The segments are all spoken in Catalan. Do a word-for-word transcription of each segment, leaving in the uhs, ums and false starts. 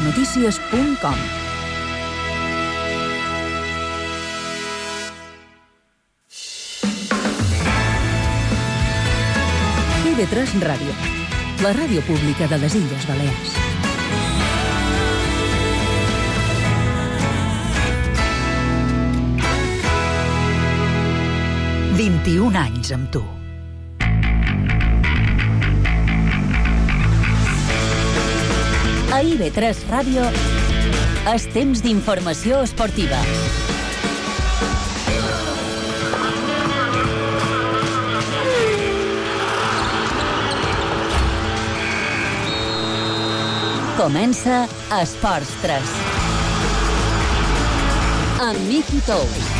notícies punt com. I V tres Ràdio, la ràdio pública de les Illes Balears. vint-i-un anys amb tu. A I V tres Ràdio, és temps d'informació esportiva. Comença Esports tres. Amb Miki Tous.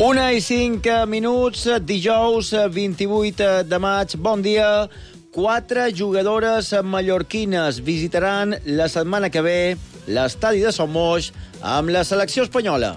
Una i cinc minuts, dijous vint-i-vuit de maig. Bon dia. Quatre jugadores mallorquines visitaran la setmana que ve l'estadi de Sommoix amb la selecció espanyola.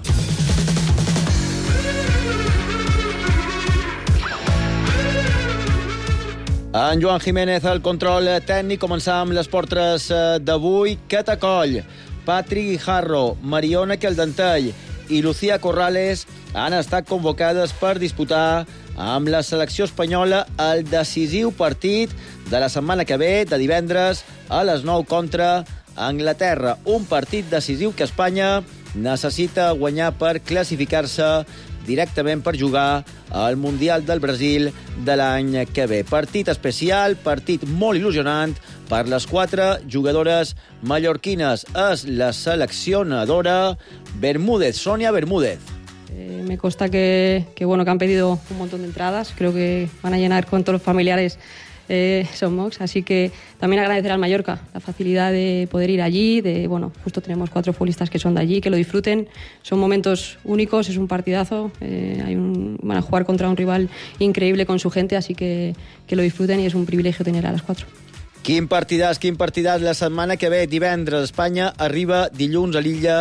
En Joan Jiménez, el control tècnic. Començam les portres d'avui. Cata Coll, Patri Guijarro, Mariona Caldentell i Lucía Corrales han estat convocades per disputar amb la selecció espanyola el decisiu partit de la setmana que ve, de divendres a les nou contra Anglaterra. Un partit decisiu que Espanya necessita guanyar per classificar-se directament per jugar al Mundial del Brasil de l'any que ve. Partit especial, partit molt il·lusionant per les quatre jugadores mallorquines. És la seleccionadora Bermúdez, Sonia Bermúdez. Eh, me consta que, que, bueno, que han pedido un montón de entradas. Creo que van a llenar con todos los familiares eh, Sommoix. Así que también agradecer al Mallorca la facilidad de poder ir allí. De, bueno, justo tenemos cuatro futbolistas que son de allí, que lo disfruten. Son momentos únicos, es un partidazo. Eh, hay un, van a jugar contra un rival increíble con su gente, así que que lo disfruten y es un privilegio tener a las cuatro. Quin partidàs, quin partidàs. La setmana que ve, divendres, Espanya arriba dilluns a l'illa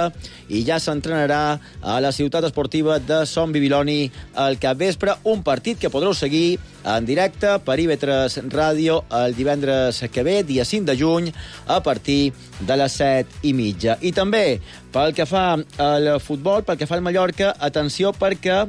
i ja s'entrenarà a la ciutat esportiva de Son Bibiloni al capvespre. Un partit que podreu seguir en directe per I V tres Ràdio el divendres que ve, dia cinc de juny, a partir de les set i mitja. I també, pel que fa al futbol, pel que fa al Mallorca, atenció perquè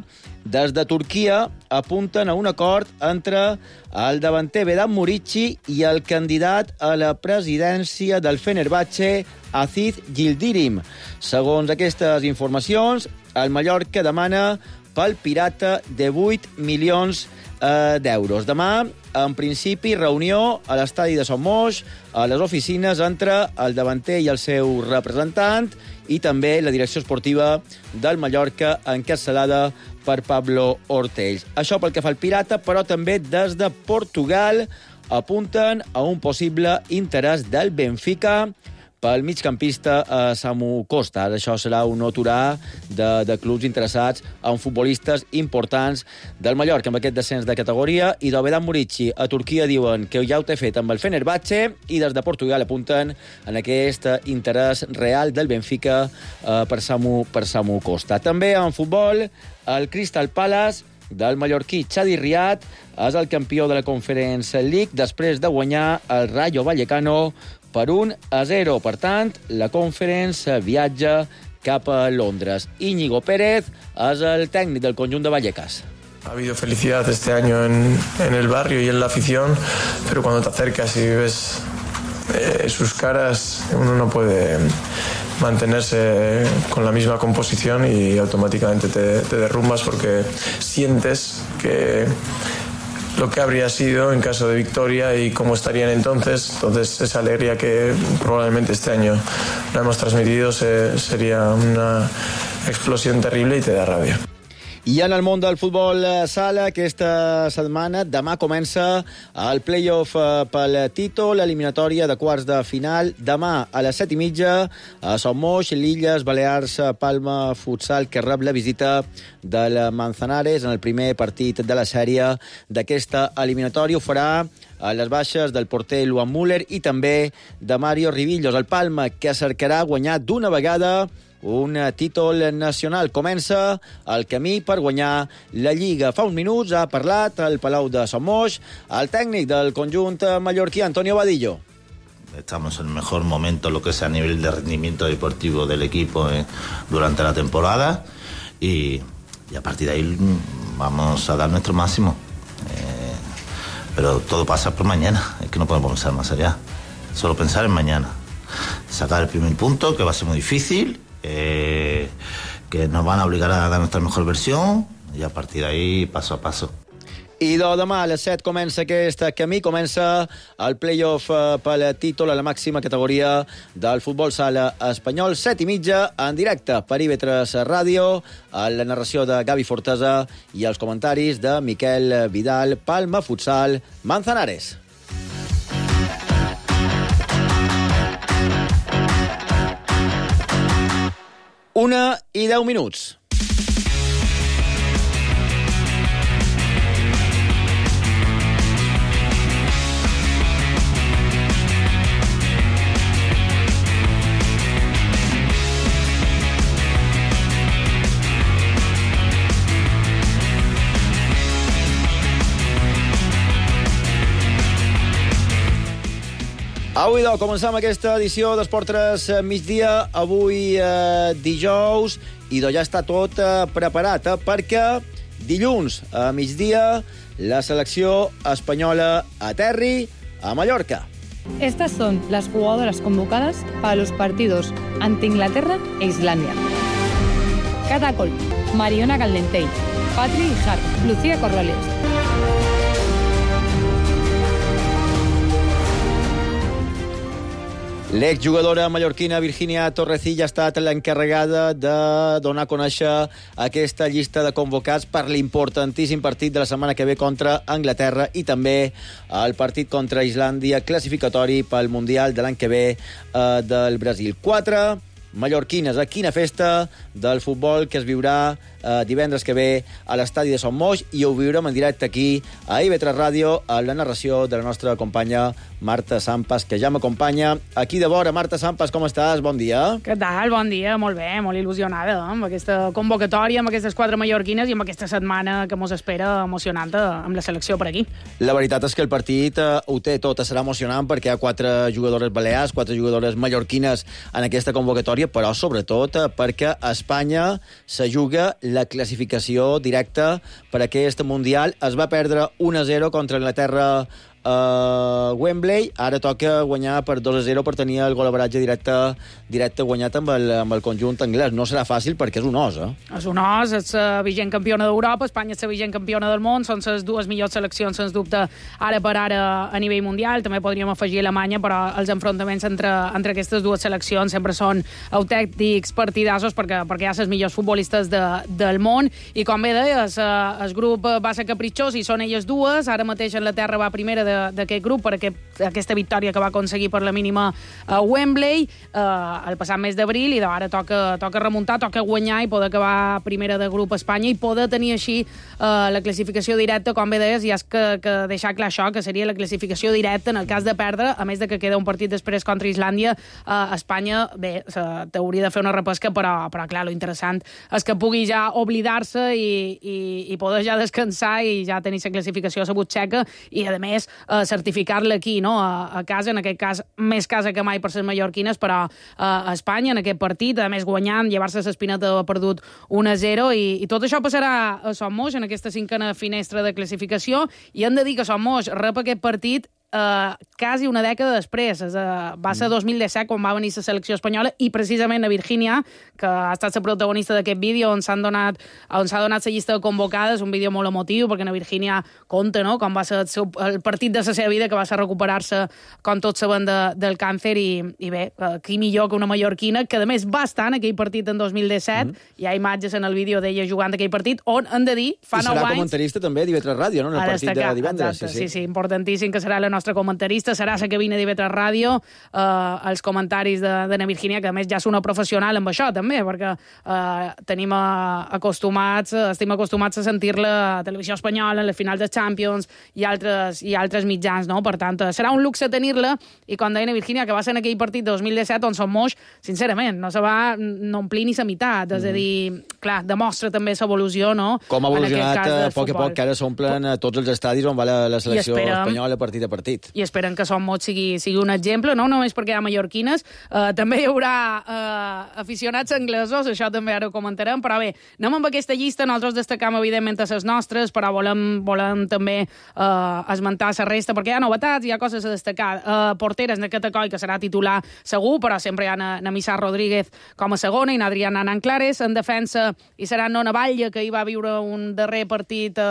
des de Turquia apunten a un acord entre el davanter Vedat Murici i el candidat a la presidència del Fenerbahçe, Aziz Yildirim. Segons aquestes informacions, el Mallorca demana pel pirata de vuit milions eh, d'euros. Demà, en principi, reunió a l'estadi de Sommoix, a les oficines entre el davanter i el seu representant i també la direcció esportiva del Mallorca, encapçalada per Pablo Ortells. Això pel que fa al pirata, però també des de Portugal apunten a un possible interès del Benfica pel migcampista eh, Samu Costa. Això serà un aturà de, de clubs interessats en futbolistes importants del Mallorca amb aquest descens de categoria. I del Vedat Murici a Turquia diuen que ja ho té fet amb el Fenerbahçe i des de Portugal apunten en aquest interès real del Benfica eh, per, Samu, per Samu Costa. També en futbol, el Crystal Palace del mallorquí Chadi Riad és el campió de la Conference League després de guanyar el Rayo Vallecano per un a zero. Per tant, la Conference viatja cap a Londres. Íñigo Pérez és el tècnic del conjunt de Vallecas. Ha habido felicidad este año en, en el barrio y en la afición, pero cuando te acercas y ves eh, sus caras, uno no puede mantenerse con la misma composición y automáticamente te, te derrumbas porque sientes que lo que habría sido en caso de victoria y cómo estarían entonces. Entonces esa alegría que probablemente este año no hemos transmitido se, sería una explosión terrible y te da rabia. I en el món del futbol sala, aquesta setmana, demà comença el play-off pel títol, l'eliminatòria de quarts de final. Demà a les set i mitja a Sommoix, l'Illes Balears, Palma Futsal, que rep la visita del Manzanares en el primer partit de la sèrie d'aquesta eliminatòria. Ho farà a les baixes del porter Luan Müller i també de Mario Rivillos. El Palma, que cercarà guanyar d'una vegada un títol nacional. Comença el camí per guanyar la Lliga. Fa uns minuts ha parlat al Palau de Sommoix el tècnic del conjunt mallorquí, Antonio Vadillo. Estamos en el mejor momento, lo que es a nivel de rendimiento deportivo del equipo eh, durante la temporada y, y a partir de ahí vamos a dar nuestro máximo. Eh, pero todo pasa por mañana, es que no podemos pensar más allá. Solo pensar en mañana. Sacar el primer punto, que va a ser muy difícil, eh, que nos van a obligar a dar nuestra mejor versión y a partir de ahí paso a paso. I de demà a les set comença aquest camí, comença el play-off pel títol a la màxima categoria del futbol sala espanyol. Set i mitja, en directe per I V tres Ràdio, a la narració de Gavi Fortesa i els comentaris de Miquel Vidal, Palma Futsal Manzanares. Una i deu minuts. Avui, doncs, comencem aquesta edició d'Esport tres migdia, avui eh, dijous, i doncs ja està tot eh, preparat, eh, perquè dilluns a migdia la selecció espanyola aterri a Mallorca. Estas son las jugadoras convocadas para los partidos ante Inglaterra e Islandia. Cata Col, Mariona Caldentey, Patri Ijar, Lucía Corrales. L'exjugadora mallorquina Virginia Torrecilla ha estat l'encarregada de donar a conèixer aquesta llista de convocats per l'importantíssim partit de la setmana que ve contra Anglaterra i també el partit contra Islàndia, classificatori pel Mundial de l'any que ve eh, del Brasil. Quatre mallorquines. A quina festa del futbol que es viurà eh, divendres que ve a l'estadi de Sommoix, i ho viurem en directe aquí a I V tres Ràdio, a la narració de la nostra companya Marta Sampas, que ja m'acompanya aquí de vora. Marta Sampas, com estàs? Bon dia. Què tal? Bon dia, molt bé, molt il·lusionada amb aquesta convocatòria, amb aquestes quatre mallorquines i amb aquesta setmana que mos espera emocionant amb la selecció per aquí. La veritat és que el partit eh, ho té tot, serà emocionant perquè hi ha quatre jugadores balears, quatre jugadores mallorquines en aquesta convocatòria, però sobretot eh, perquè Espanya se juga la classificació directa per aquest Mundial. Es va perdre un a zero contra Anglaterra a Wembley, ara toca guanyar per dos a zero per tenir el golaveratge directe, directe guanyat amb el, amb el conjunt anglès. No serà fàcil perquè és un os, eh? És un os, és la vigent campiona d'Europa, Espanya és la vigent campiona del món, són les dues millors seleccions, sens dubte, ara per ara a nivell mundial. També podríem afegir Alemanya, però els enfrontaments entre, entre aquestes dues seleccions sempre són autèntics partidassos perquè, perquè hi ha les millors futbolistes de, del món, i com bé deies, el grup va ser capritxós i són elles dues. Ara mateix Anglaterra va primera d'aquest grup per aquest, aquesta victòria que va aconseguir per la mínima a Wembley eh, el passat mes d'abril, i ara toca, toca remuntar, toca guanyar i poder acabar primera de grup a Espanya i poder tenir així eh, la classificació directa. Com bé deies, i has que, que deixar clar això, que seria la classificació directa en el cas de perdre, a més de que queda un partit després contra Islàndia. eh, Espanya, bé, t'hauria de fer una repesca, però, però clar, lo interessant és que pugui ja oblidar-se i, i, i poder ja descansar i ja tenir la classificació a la butxaca i, a més, Uh, certificar-la aquí, no? A, a casa, en aquest cas, més casa que mai per les mallorquines, però uh, a Espanya, en aquest partit, a més guanyant, llevar-se l'espineta de perdut un a zero, i, i tot això passarà a Sommoix, en aquesta cinquena finestra de classificació, i hem de dir que Sommoix rep aquest partit Uh, quasi una dècada després. Uh, va ser dos mil disset quan va venir la selecció espanyola, i precisament a Virginia, que ha estat la protagonista d'aquest vídeo on s'han donat, on s'ha donat la llista de convocades, un vídeo molt emotiu perquè a Virginia conta, no?, com va ser el, seu, el partit de la seva vida, que va ser recuperar-se, com tots saben, de, del càncer, i, i bé, uh, qui millor que una mallorquina, que a més va estar en aquell partit en dos mil disset. Mm. Hi ha imatges en el vídeo d'ella jugant aquell partit, on, hem de dir, fa nou anys... I serà comentarista també d'I V tres Ràdio, no?, en el partit de divendres. Exacte, sí, sí, sí, importantíssim, que serà la nostra comentarista, serà a la cabina d'I V tres Ràdio, eh, els comentaris de, de na Virgínia, que a més ja és una professional amb això també, perquè eh, tenim acostumats, estem acostumats a sentir-la a Televisió Espanyola, a les finals de Champions i altres, i altres mitjans, no? Per tant, serà un luxe tenir-la, i com deia na Virgínia, que va ser en aquell partit de dos mil disset on Som Moix, sincerament, no se va no omplir ni la meitat, és a dir, clar, demostra també l'evolució, no? Com ha evolucionat a poc a poc, que ara s'omplen a tots els estadis on va la, la selecció esperem, espanyola partit a partit. I esperen que Som Moix sigui, sigui un exemple, no només perquè hi ha mallorquines, eh, també hi haurà eh, aficionats anglesos, això també ara ho comentarem, però bé, anem amb aquesta llista, nosaltres destacam evidentment a les nostres, però volem, volem també eh, esmentar la resta, perquè hi ha novetats, hi ha coses a destacar. Eh, porteres, na Catacoi, que serà titular segur, però sempre hi ha na, na Missar Rodríguez com a segona i na Adriana Nanclares. En defensa hi serà Nona Batlle, que hi va viure un darrer partit eh,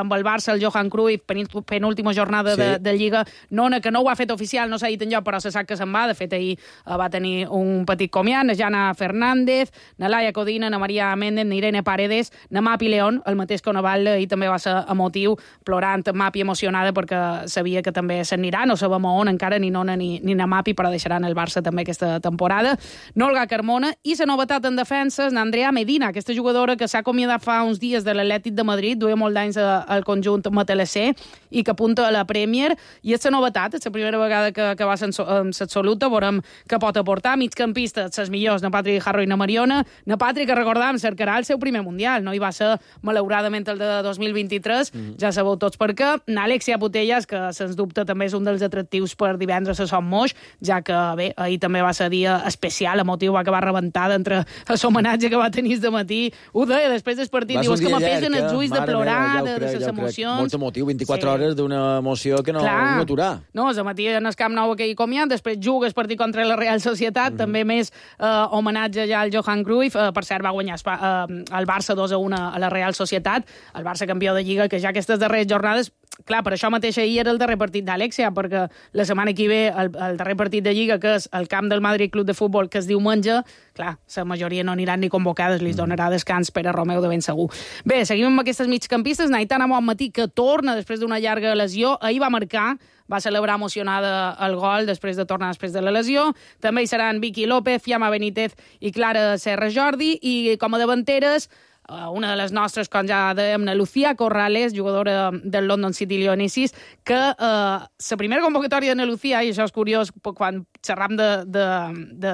amb el Barça, el Johan Cruyff, penúltima jornada sí. de, de Lliga. Nona, que no ho ha fet oficial, no s'ha dit enlloc, però se sap que se'n va. De fet, ahir eh, va tenir un petit comiat. Na Jana Fernández, na Laia Codina, na Maria Méndez, na Irene Paredes, na Mapi León, el mateix que Nona Batlle, i també va ser emotiu, plorant Mapi emocionada perquè sabia que també s'anirà, no sabem on encara, ni Nona ni, ni na Mapi, però deixaran el Barça també aquesta temporada. Nolga Carmona, i la novetat en defensa és Andrea Medina, aquesta jugadora que s'ha acomiadat fa uns dies de l'Atlètic de Madrid, duia molt d'anys al conjunt matalasser i que apunta a la Premier, i és la novetat, és la primera vegada que, que va en l'absoluta, veurem què pot aportar. Migcampistes, les millors, na Patrick Harro i na Mariona. Na Patrick, que recordam, cercarà el seu primer mundial, no hi va ser malauradament el de dos mil vint-i-tres, mm. ja sabeu tots per què. Na Alexia Putellas, que sens dubte també és un dels atractius per divendres a Som Moix, ja que bé, ahir també va ser dia especial, emotiu, va acabar rebentada entre l'homenatge que va tenir de matí. Ho deia després del partit, diu, és que m'apesen els ulls de plorar, meva, de les emocions. Molt emotiu, vint-i-quatre sí. hores d'una emoció que no, no aturar. No, el matí en el Camp Nou aquell comiat, després juga el partit contra la Real Societat, mm -hmm. també més eh, homenatge ja al Johan Cruyff, eh, per cert va guanyar eh, el Barça dos a un a la Real Societat, el Barça campió de Lliga, que ja aquestes darreres jornades, clar, per això mateix ahir era el darrer partit d'Alexia, perquè la setmana que ve el, el darrer partit de Lliga, que és el camp del Madrid Club de Futbol, que es diumenge, clar, la majoria no aniran ni convocades, li donarà descans per a Romeu de ben segur. Bé, seguim amb aquestes migcampistes. Naitana Bonmatí, que torna després d'una llarga lesió, ahir va marcar, va celebrar emocionada el gol després de tornar després de la lesió. També hi seran Vicky López, Fiamma Benítez i Clara Serra Jordi, i com a davanteres, una de les nostres, com ja dèiem, la Lucía Corrales, jugadora del London City Leonesis, que eh, la primera convocatòria de la Lucía, i això és curiós quan xerram de, de, de,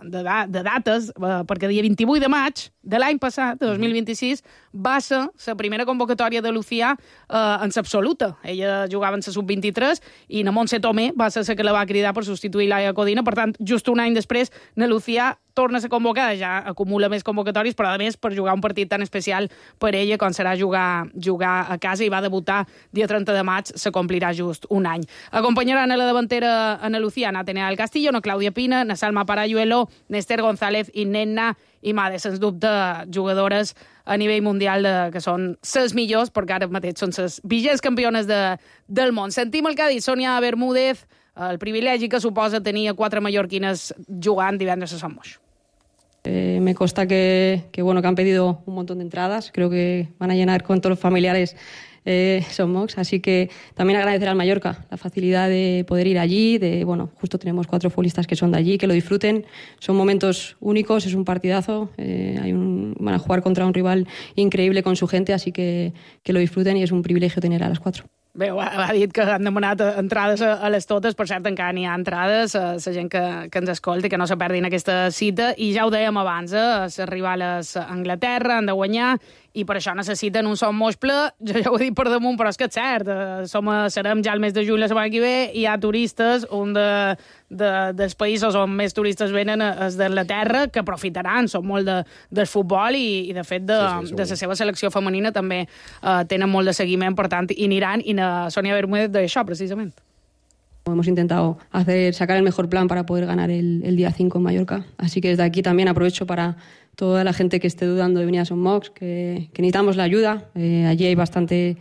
de, de, de dates, eh, perquè dia vint-i-vuit de maig de l'any passat, de dos mil vint-i-sis, va ser la primera convocatòria de Lucía eh, en l'absoluta. Ella jugava en la sub vint-i-tres i na Montse Tomé va ser la que la va cridar per substituir Laia Codina. Per tant, just un any després, na Lucía torna a ser convocada, ja acumula més convocatòries, però a més per jugar un partit tan especial per ella com serà jugar, jugar a casa, i va debutar dia trenta de maig, se complirà just un any. Acompanyaran a la davantera Ana Lucía, Natenea del Castillo, na Clàudia Pina, na Salma Parayuelo, Nester González i Nenna i Made, sens dubte jugadores a nivell mundial de, que són les millors, perquè ara mateix són les vigents campiones de, del món. Sentim el que ha dit Sònia Bermúdez, el privilegi que suposa tenir quatre mallorquines jugant divendres a Som Moix. Eh, me consta que, que, bueno, que han pedido un montón de entradas. Creo que van a llenar con todos los familiares eh, Som Moix. Así que también agradecer al Mallorca la facilidad de poder ir allí. De, bueno, justo tenemos cuatro futbolistas que son de allí, que lo disfruten. Son momentos únicos, es un partidazo. Eh, hay un, van a jugar contra un rival increíble con su gente, así que, que lo disfruten, y es un privilegio tener a las cuatro. Bé, ha dit que han demanat entrades a les totes, per cert, encara n'hi ha entrades, a la gent que, que ens escolta, que no se perdin aquesta cita, i ja ho dèiem abans, eh, les rivals a Anglaterra han de guanyar, i per això necessiten un Som Moix ple. Jo ja ho he dit per damunt, però és que és cert, som, serem ja el mes de juny la setmana que ve, i hi ha turistes, un de, de, dels països on més turistes venen és d'Anglaterra, que aprofitaran, són molt de, del futbol, i, i de fet de, sí, sí, de la seva selecció femenina també eh, tenen molt de seguiment, per tant, i aniran, i na Sònia Bermúdez d'això, precisament. Hemos intentado hacer, sacar el mejor plan para poder ganar el, el día cinco en Mallorca. Así que desde aquí también aprovecho para toda la gente que esté dudando de venir a Som Moix, que, que necesitamos la ayuda. Eh, allí hay bastante,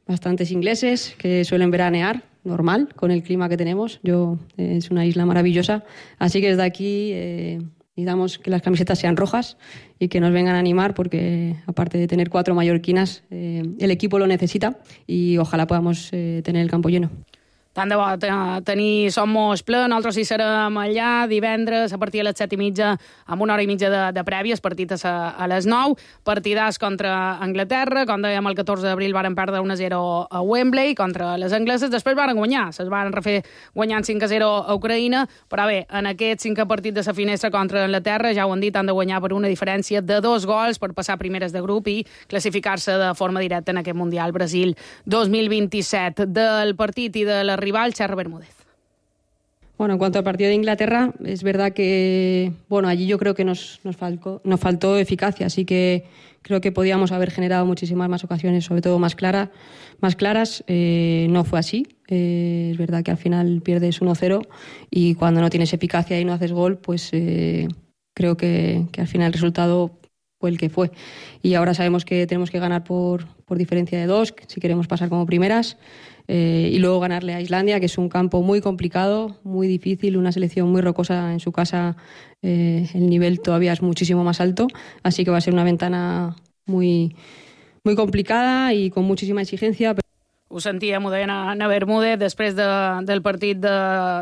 bastantes ingleses que suelen veranear, normal, con el clima que tenemos. Yo, eh, es una isla maravillosa. Así que desde aquí eh, necesitamos que las camisetas sean rojas y que nos vengan a animar, porque aparte de tener cuatro mallorquinas, eh, el equipo lo necesita, y ojalá podamos eh, tener el campo lleno. Tant de bo tenir Somos ple, nosaltres hi serem allà divendres a partir de les set i mitja amb una hora i mitja de, de prèvia, el partit a, a les nou, partidàs contra Anglaterra, com dèiem el catorze d'abril varen perdre un a zero a Wembley contra les angleses, després varen guanyar, se'ls varen refer guanyant cinc a zero a Ucraïna, però bé, en aquest cinquè partit de la finestra contra Anglaterra, ja ho han dit, han de guanyar per una diferència de dos gols per passar primeres de grup i classificar-se de forma directa en aquest Mundial Brasil dos mil vint-i-set. Del partit i de la rival, Xerra Bermúdez. Bueno, en cuanto al partido de Inglaterra, es verdad que, bueno, allí yo creo que nos, nos, faltó, nos faltó eficacia, así que creo que podíamos haber generado muchísimas más ocasiones, sobre todo más, clara, más claras. Eh, no fue así. Eh, es verdad que al final pierdes uno cero y cuando no tienes eficacia y no haces gol, pues eh, creo que, que al final el resultado fue el que fue. Y ahora sabemos que tenemos que ganar por, por diferencia de dos, si queremos pasar como primeras. Eh, y luego ganarle a Islandia, que es un campo muy complicado, muy difícil, una selección muy rocosa en su casa, eh, el nivel todavía es muchísimo más alto, así que va a ser una ventana muy, muy complicada y con muchísima exigencia. Ho sentíem, ho deia Ana Bermúdez, després de, del partit de,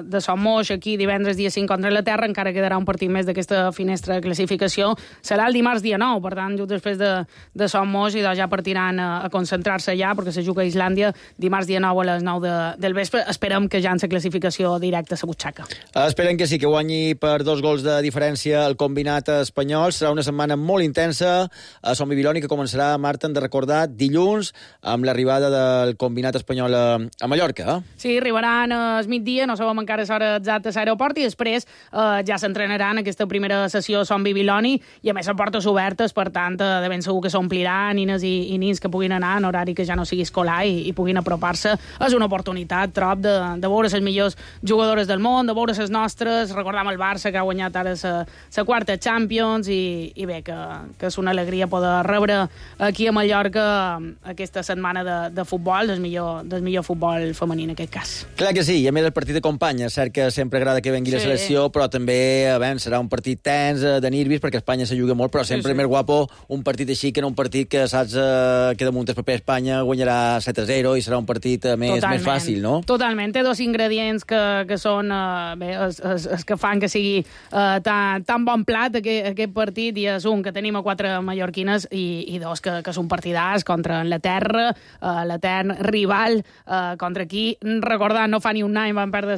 de Somos, aquí divendres dia cinc contra Anglaterra, encara quedarà un partit més d'aquesta finestra de classificació. Serà el dimarts dia nou, per tant, just després de, de Somos, i doncs ja partiran a, a concentrar-se allà, perquè se juga a Islàndia dimarts dia nou a les nou de, del vespre. Esperem que ja en la classificació directa a la butxaca. Esperem que sí, que guanyi per dos gols de diferència el combinat espanyol. Serà una setmana molt intensa a Son Bibiloni, que començarà, Marta, hem de recordar, dilluns, amb l'arribada del combinat combinat espanyol a, a Mallorca. Eh? Sí, arribaran al migdia, no sabem encara l'hora exacta a l'aeroport, i després eh, ja s'entrenaran aquesta primera sessió a Son Bibiloni, i a més a portes obertes, per tant, eh, de ben segur que s'ompliran nines i, i nins que puguin anar en horari que ja no sigui escolar i, i puguin apropar-se. És una oportunitat, trob, de, de veure les millors jugadores del món, de veure les nostres, recordam el Barça, que ha guanyat ara la quarta Champions, i, i bé, que, que és una alegria poder rebre aquí a Mallorca aquesta setmana de, de futbol, del millor, del millor futbol femení en aquest cas. Clar que sí, i a més el partit de companya, cert que sempre agrada que vengui sí. la selecció, però també a veure, serà un partit tens, de nervis, perquè Espanya se juga molt, però sempre sí, sí. més guapo un partit així que no un partit que saps eh, que damunt el paper Espanya guanyarà set a zero i serà un partit eh, més, més fàcil, no? Totalment, té dos ingredients que, que són eh, bé, es, es, es que fan que sigui eh, tan, tan bon plat aquest, aquest partit, i és un, que tenim a quatre mallorquines, i, i dos, que, que és un partidàs contra l'Eterra, eh, l'Etern rival, eh, contra qui, recordar, no fa ni un any van perdre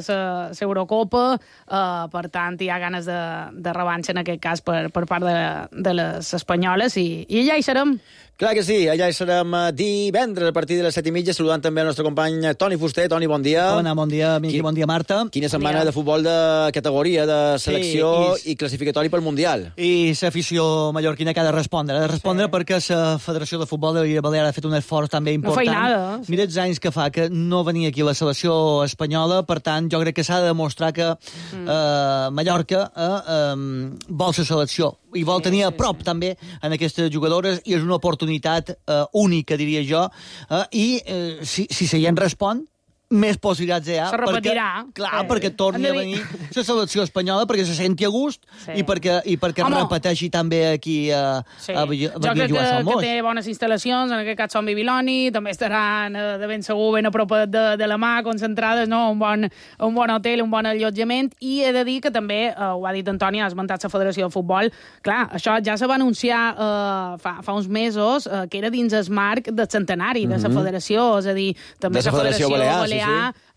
l'Eurocopa, eh, per tant, hi ha ganes de, de revanxa en aquest cas per, per part de, de les espanyoles, i, i allà hi serem. Clar que sí, allà hi serem divendres a partir de les set i mitja, saludant també el nostre company Toni Fuster. Toni, bon dia. Bona, bon dia, Miqui, bon dia, Marta. Quina setmana bon de futbol de categoria, de selecció sí, i, i classificatori pel Mundial. I l'afició mallorquina que ha de respondre. Ha de respondre sí. perquè la Federació de Futbol de l'Illa Balear ha fet un esforç també important. No feinada. Sí. Mira els anys que fa que no venia aquí la selecció espanyola, per tant, jo crec que s'ha de demostrar que mm. eh, Mallorca eh, eh, vol la selecció i vol sí, tenir a prop sí, sí. també en aquestes jugadores, i és una oportunitat eh, única, diria jo, eh, i eh, si, si se hi en respon, més possibilitats hi ha. Se repetirà. Perquè, clar, eh, perquè torni a venir la selecció espanyola, perquè se senti a gust sí. i perquè, i perquè repeteixi també aquí a, sí. a, a, a jo crec que, que té bones instal·lacions, en aquest cas Son Bibiloni, també estaran de ben segur ben a prop de, de la mà, concentrades, no? un, bon, un bon hotel, un bon allotjament, i he de dir que també, eh, ho ha dit Antoni, ha esmentat la Federació de Futbol, clar, això ja se va anunciar eh, fa, fa uns mesos, eh, que era dins el marc del centenari mm-hmm. de la Federació, és a dir, també la Federació Balear, sí. Sí.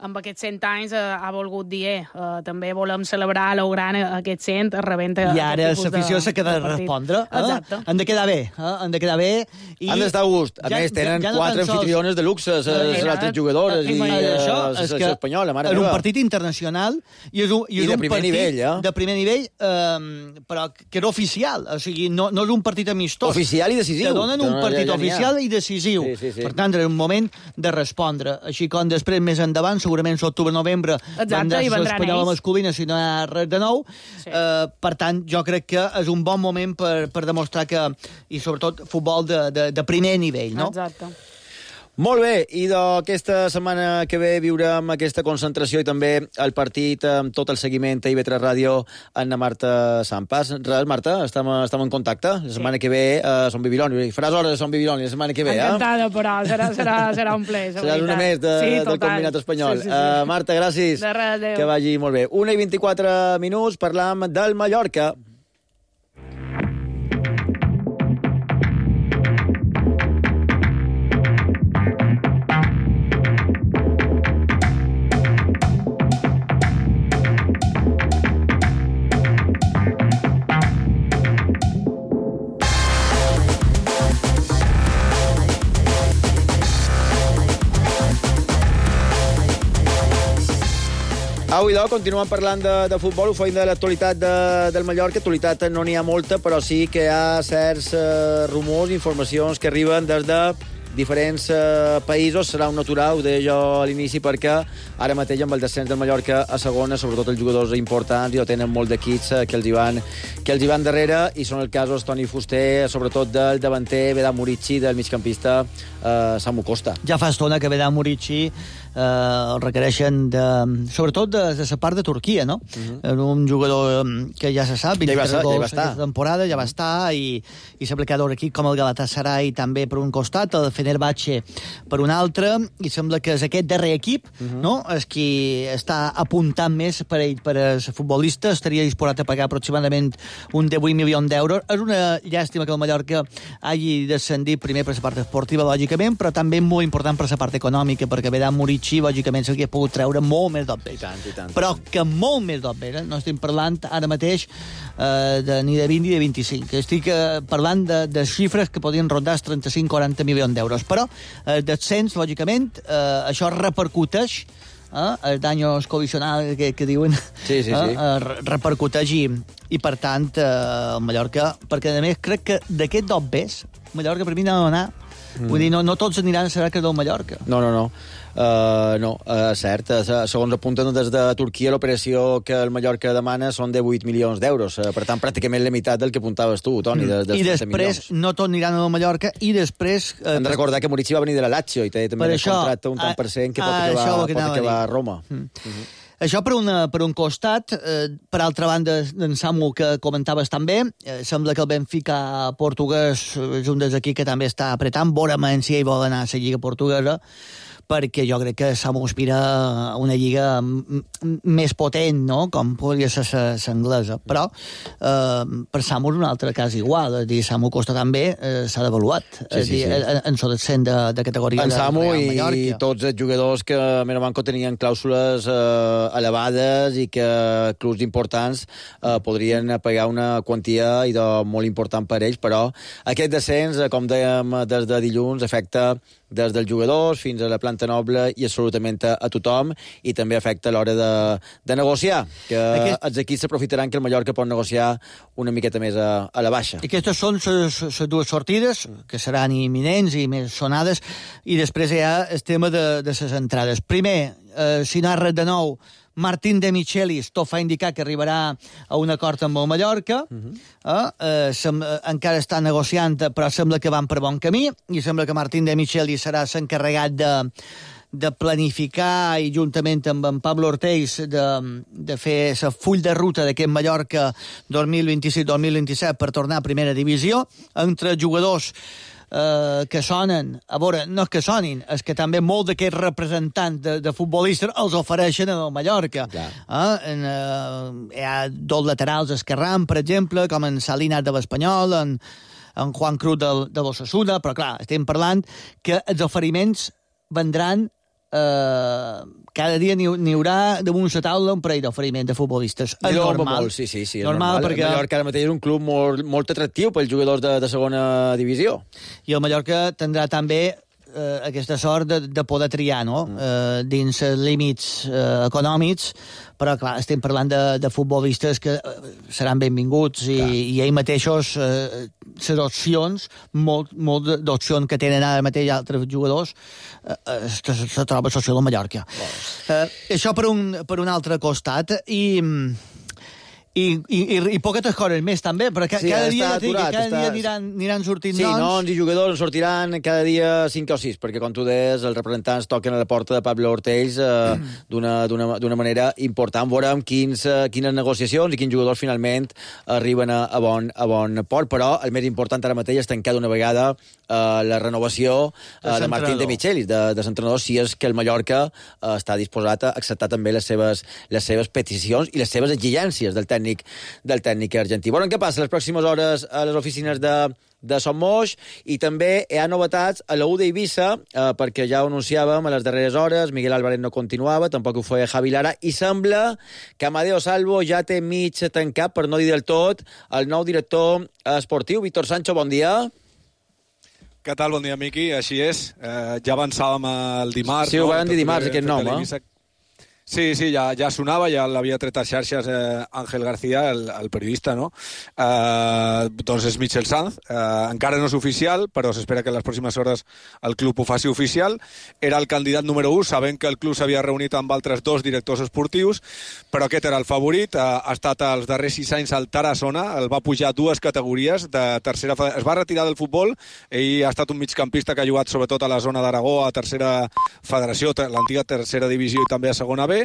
amb aquests cent anys eh, ha volgut dir eh, uh, també volem celebrar lo gran aquest cent rebent i ara l'afició s'ha de respondre eh? han de quedar bé eh? han de quedar bé i han d'estar a gust, a ja, més tenen ja, ja no quatre anfitriones de luxe les eh, altres jugadores i això la selecció espanyola, mare meva. És un partit internacional i és un, i és I de un primer partit nivell, eh? de primer nivell eh, però que era oficial, o sigui, no, no és un partit amistós, oficial i decisiu, te donen un no, partit ja, ja oficial i decisiu, sí, sí, sí. per tant era un moment de respondre, així com després més endavant, segurament l'octubre-novembre vendrà l'espanyola masculina si no hi ha res de nou. Sí. Eh, per tant, jo crec que és un bon moment per, per demostrar que, i sobretot, futbol de, de, de primer nivell, no? Exacte. Molt bé, i d'aquesta setmana que ve viurem aquesta concentració i també el partit amb tot el seguiment a I V tres Ràdio amb la Marta Sampas. Res, Marta, estem, estem en contacte. La setmana sí. que ve a Son Bibiloni. Faràs hores a Son Bibiloni la setmana que ve, Encantada, eh? però serà, serà, serà un ple. Seràs una més de, sí, del combinat espanyol. Sí, sí, sí. Uh, Marta, gràcies. De res, adéu. Que vagi molt bé. una i vint-i-quatre minuts, parlam del Mallorca. Avui, doncs, continuem parlant de, de futbol, ho feim de l'actualitat de, del Mallorca. Actualitat no n'hi ha molta, però sí que hi ha certs eh, rumors, informacions que arriben des de diferents eh, països. Serà un natural, ho deia jo a l'inici, perquè ara mateix amb el descens del Mallorca a segona, sobretot els jugadors importants, i tenen molt d'equips eh, que, els hi van, que els hi van darrere, i són el casos Toni Fuster, sobretot del davanter Vedat Murici, del migcampista eh, Samu Costa. Ja fa estona que Vedat Murici eh, el requereixen de, sobretot de, de la part de Turquia, no? Uh-huh. Un jugador que ja se sap, vint-i-tres ja gols aquesta temporada, ja va estar, i, i sembla que hi ha un equip com el Galatasaray també per un costat, el Fenerbahce per un altre, i sembla que és aquest darrer equip, uh-huh. no?, és qui està apuntant més per ell, per a ser futbolista, estaria disposat a pagar aproximadament un divuit milions d'euros. És una llàstima que el Mallorca hagi descendit primer per la part esportiva, lògicament, però també molt important per la part econòmica, perquè Vedat Murici, lògicament, s'hauria pogut treure molt més d'obver. I tant, i tant. Però que molt més d'obver, eh? No estem parlant ara mateix eh, de, ni de vint ni de vint-i-cinc. Estic eh, parlant de, de xifres que podien rondar els trenta-cinc a quaranta milions d'euros. Però, eh, descens, lògicament, eh, això repercuteix Eh, el daños covisional que, que diuen sí, sí, sí. Eh, eh, repercuteix i, i per tant eh, el Mallorca, perquè a més crec que d'aquest dobbers Mallorca per mi n'ha d'anar mm. vull dir, no, no tots aniran a saber que del Mallorca. No, no, no Uh, no, uh, cert, uh, segons apunten des de Turquia, l'operació que el Mallorca demana són de vuit milions d'euros, uh, per tant pràcticament la meitat del que apuntaves tu, Toni, de, de I després no tot aniran a Mallorca, i després uh, hem de recordar que Murici va venir de la Lazio i té també un contracte un tant per cent que pot acabar, pot acabar a Roma. Mm. Uh-huh. Això per, una, per un costat. Eh, per altra banda, en Samu, que comentaves també, eh, sembla que el Benfica portuguès és un dels aquí que també està apretant, veurem si ell vol anar a la Lliga portuguesa, perquè jo crec que Samu aspira a una lliga més potent, no?, com podria ser l'anglesa. Però eh, per Samu és un altre cas igual. És dir, Samu Costa també eh, s'ha devaluat. Sí, sí, sí. En, en so descent de, de categoria en de Samu Real i, Mallorca. I tots els jugadors que a Mirabanco tenien clàusules eh, elevades i que clubs importants eh, podrien pagar una quantia i de molt important per ells, però aquest descens, com dèiem des de dilluns, afecta des dels jugadors fins a la planta noble i absolutament a, a tothom, i també afecta a l'hora de, de negociar, que Aquest... els equips s'aprofitaran que el Mallorca pot negociar una miqueta més a, a la baixa. I aquestes són les dues sortides, que seran imminents i més sonades, i després hi ha el tema de, de les entrades. Primer, eh, si narra de nou Martín de Michelis, tot fa indicar que arribarà a un acord amb el Mallorca. Uh-huh. eh? Eh, sem, eh, encara està negociant, però sembla que van per bon camí, i sembla que Martín de Michelis serà l'encarregat de, de planificar, i juntament amb en Pablo Ortiz de, de fer el full de ruta d'aquest Mallorca dos mil vint-i-sis dos mil vint-i-set per tornar a primera divisió, entre jugadors Uh, que sonen, a veure, no és que sonin, és que també molt d'aquests representants de, de futbolistes els ofereixen al Mallorca. Uh, en, uh, hi ha dos laterals esquerrans, per exemple, com en Salinas de l'Espanyol, en, en Juan Cruz de, de l'Osasuna, però clar, estem parlant que els oferiments vendran Uh, cada dia n'hi, n'hi haurà damunt la taula un parell d'oferiment de futbolistes. És no, normal. Molt, sí, sí, sí, és normal, normal. Perquè... El Mallorca ara mateix és un club molt, molt atractiu pels jugadors de, de segona divisió. I el Mallorca tindrà també eh, aquesta sort de, de poder triar, no?, mm. eh, dins els límits eh, econòmics, però clar, estem parlant de, de futbolistes que eh, seran benvinguts, i, i ells mateixos eh, les opcions, molt, molt d'opcions que tenen ara mateix altres jugadors, eh, eh, se, se troba a Social de Mallorca. Eh, això per un, per un altre costat. I, I, i, i, i poquetes coses més, també, però ca, Sí, cada està dia, ja dic, aturat, cada està- dia aniran, aniran sortint Sí, noms. noms i jugadors en sortiran cada dia cinc o sis, perquè, com tu deies, els representants toquen a la porta de Pablo Ortells eh, d'una d'una- d'una manera important. Veurem quins, eh, quines negociacions i quins jugadors finalment arriben a, a, bon, a bon port, però el més important ara mateix és tancar d'una vegada eh, la renovació eh, de Martín de Michelis, de, de l'entrenador, si és que el Mallorca eh, està disposat a acceptar també les seves, les seves peticions i les seves exigències del tècnic del tècnic argentí. Veurem què passa les pròximes hores a les oficines de, de Son Moix, i també hi ha novetats a la U d'Eivissa, eh, perquè ja ho anunciàvem a les darreres hores, Miguel Álvarez no continuava, tampoc ho feia Javi Lara, i sembla que Amadeo Salvo ja té mig tancat, per no dir del tot, el nou director esportiu. Víctor Sancho, bon dia. Què tal? Bon dia, Miqui. Així és. Eh, ja avançàvem el dimarts. Sí, ho no? van dir dimarts, aquest nom, eh? Sí, sí, ja, ja sonava, ja l'havia tret a xarxes eh, Ángel García, el, el periodista, no? Eh, doncs és Michel Sanz. Eh, encara no és oficial, però s'espera que en les pròximes hores el club ho faci oficial. Era el candidat número u, sabent que el club s'havia reunit amb altres dos directors esportius, però aquest era el favorit. Eh, ha estat els darrers sis anys al Tarassona, el va pujar dues categories de tercera... Es va retirar del futbol, ell ha estat un migcampista que ha jugat sobretot a la zona d'Aragó, a tercera federació, l'antiga tercera divisió i també a segona B,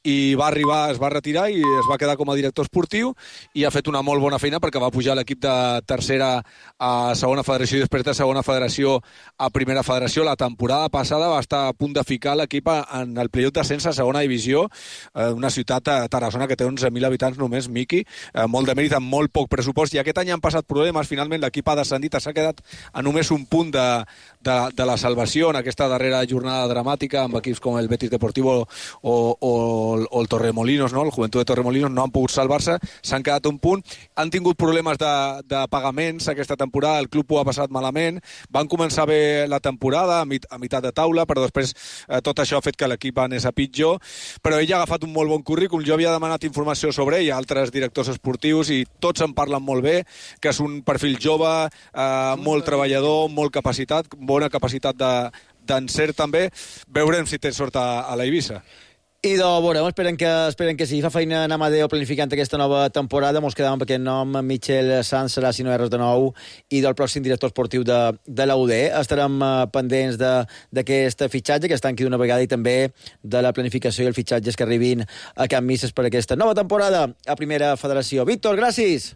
i va arribar, es va retirar i es va quedar com a director esportiu i ha fet una molt bona feina perquè va pujar l'equip de tercera a segona federació i després de segona federació a primera federació. La temporada passada va estar a punt de ficar l'equip en el playoff d'ascens a segona divisió, eh, una ciutat a Tarassona que té onze mil habitants només, Miqui, eh, molt de mèrit, amb molt poc pressupost, i aquest any han passat problemes. Finalment l'equip ha descendit, s'ha quedat a només un punt de, de, de la salvació en aquesta darrera jornada dramàtica amb equips com el Betis Deportivo o o, o el Torremolinos, no? El Juventud de Torremolinos no han pogut salvar-se, s'han quedat a un punt, han tingut problemes de, de pagaments aquesta temporada, el club ho ha passat malament, van començar bé la temporada a, mit, a meitat de taula, però després eh, tot això ha fet que l'equip anés a pitjor, però ell ha agafat un molt bon currículum. Jo havia demanat informació sobre ell a altres directors esportius i tots en parlen molt bé, que és un perfil jove, eh, molt treballador, molt capacitat, bona capacitat de, d'encert també. Veurem si té sort a, a la Eivissa. I de veurem, esperen que, esperen que sí. Fa feina en Amadeo planificant aquesta nova temporada. Mos quedàvem amb aquest nom, Michel Sanz serà, si no erres de nou, i del pròxim director esportiu de, de la U D. Estarem uh, pendents d'aquest fitxatge, que es tanqui d'una vegada, i també de la planificació i els fitxatges que arribin a Can Misses per aquesta nova temporada a Primera Federació. Víctor, gràcies!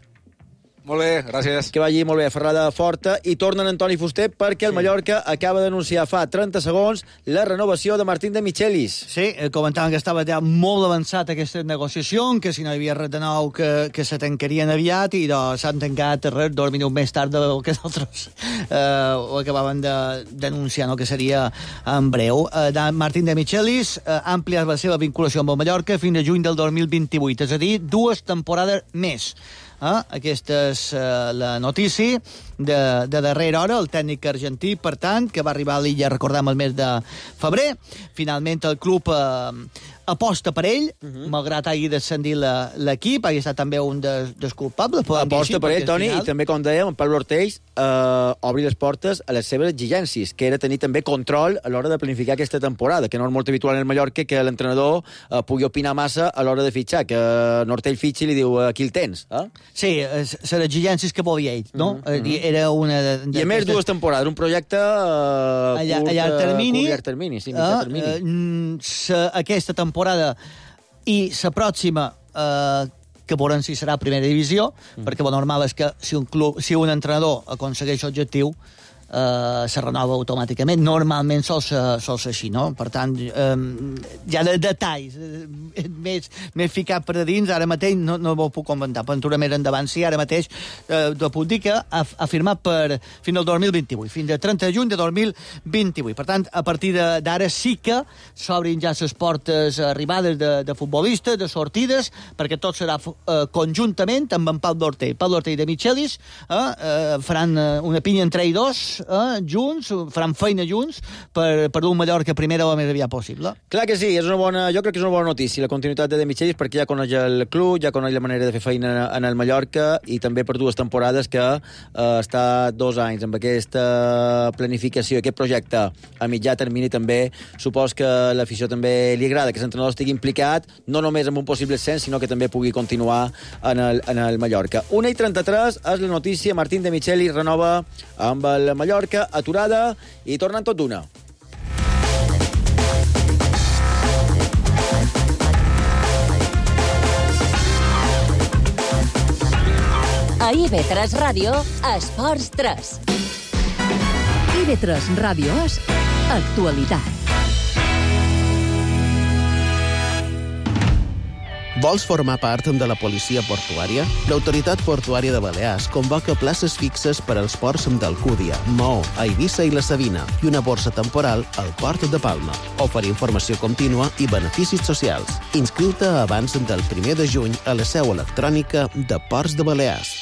Molt bé, gràcies. Que vagi molt bé, ferrada forta. I tornen Antoni Fuster perquè el Mallorca acaba d'anunciar fa trenta segons la renovació de Martín de Michelis. Sí, comentaven que estava ja molt avançat aquesta negociació, que si no hi havia res de nou que, que se tancarien aviat, i doncs s'han tancat res, dos minuts més tard del que nosaltres eh, ho acabaven d'anunciar, no? Que seria en breu. Eh, de Martín de Michelis eh, ha ampliat la seva vinculació amb el Mallorca fins a juny del dos mil vint-i-vuit, és a dir, dues temporades més. Eh? Aquesta és eh, la notícia de, de darrera hora. El tècnic argentí, per tant, que va arribar a l'illa, recordem, el mes de febrer. Finalment el club eh, aposta per ell, uh -huh. malgrat hagi descendit l'equip, hagi estat també un dels, dels culpables. Aposta per ell, Toni, final... i també, com dèiem, en Pablo Ortells eh, obri les portes a les seves exigències, que era tenir també control a l'hora de planificar aquesta temporada, que no és molt habitual en el Mallorca que l'entrenador eh, pugui opinar massa a l'hora de fitxar, que eh, Ortell fitxi i li diu aquí el tens. Eh? Sí, les exigències que volia ell, no? Uh -huh. Era una de, de I a més, dues temporades, un projecte uh, a, curt, a llarg termini, curt, llarg termini, sí, mitjà uh, termini. Uh, aquesta temporada i la pròxima, uh, que veurem si serà primera divisió, mm. perquè el normal és que si un, club, si un entrenador aconsegueix l'objectiu, Uh, se renova automàticament. Normalment sol ser, sol ser així, no? Per tant, um, ja de detalls uh, més, més ficat per a dins, ara mateix no, no ho puc comentar. Aventura més endavant, sí, ara mateix uh, t'ho puc dir que ha, ha firmat per fins al dos mil vint-i-vuit, fins al trenta de juny de dos mil vint-i-vuit. Per tant, a partir d'ara sí que s'obrin ja les portes arribades de, de futbolistes, de sortides, perquè tot serà uh, conjuntament amb en Pablo Ortell. Pablo Ortell de Michelis uh, uh, faran uh, una pinya entre ells dos, eh, junts, faran feina junts, per, per un Mallorca primera o més aviat possible. Clar que sí, és una bona, jo crec que és una bona notícia la continuïtat de De Michelis, perquè ja coneix el club, ja coneix la manera de fer feina en el Mallorca, i també per dues temporades que eh, està dos anys amb aquesta planificació, aquest projecte a mitjà termini. També supos que l'afició també li agrada que l'entrenador estigui implicat, no només en un possible ascens, sinó que també pugui continuar en el, en el Mallorca. una i trenta-tres és la notícia. Martín De Michelis renova amb el Mallorca, aturada i tornant tot d'una. A I B tres Ràdio, Esports tres. I B tres Ràdio és actualitat. Vols formar part de la policia portuària? L'Autoritat Portuària de Balears convoca places fixes per als ports d'Alcúdia, Maó, Eivissa i la Sabina i una borsa temporal al Port de Palma. Oferir informació contínua i beneficis socials. Inscriu-te abans del primer de juny a la seu electrònica de Ports de Balears.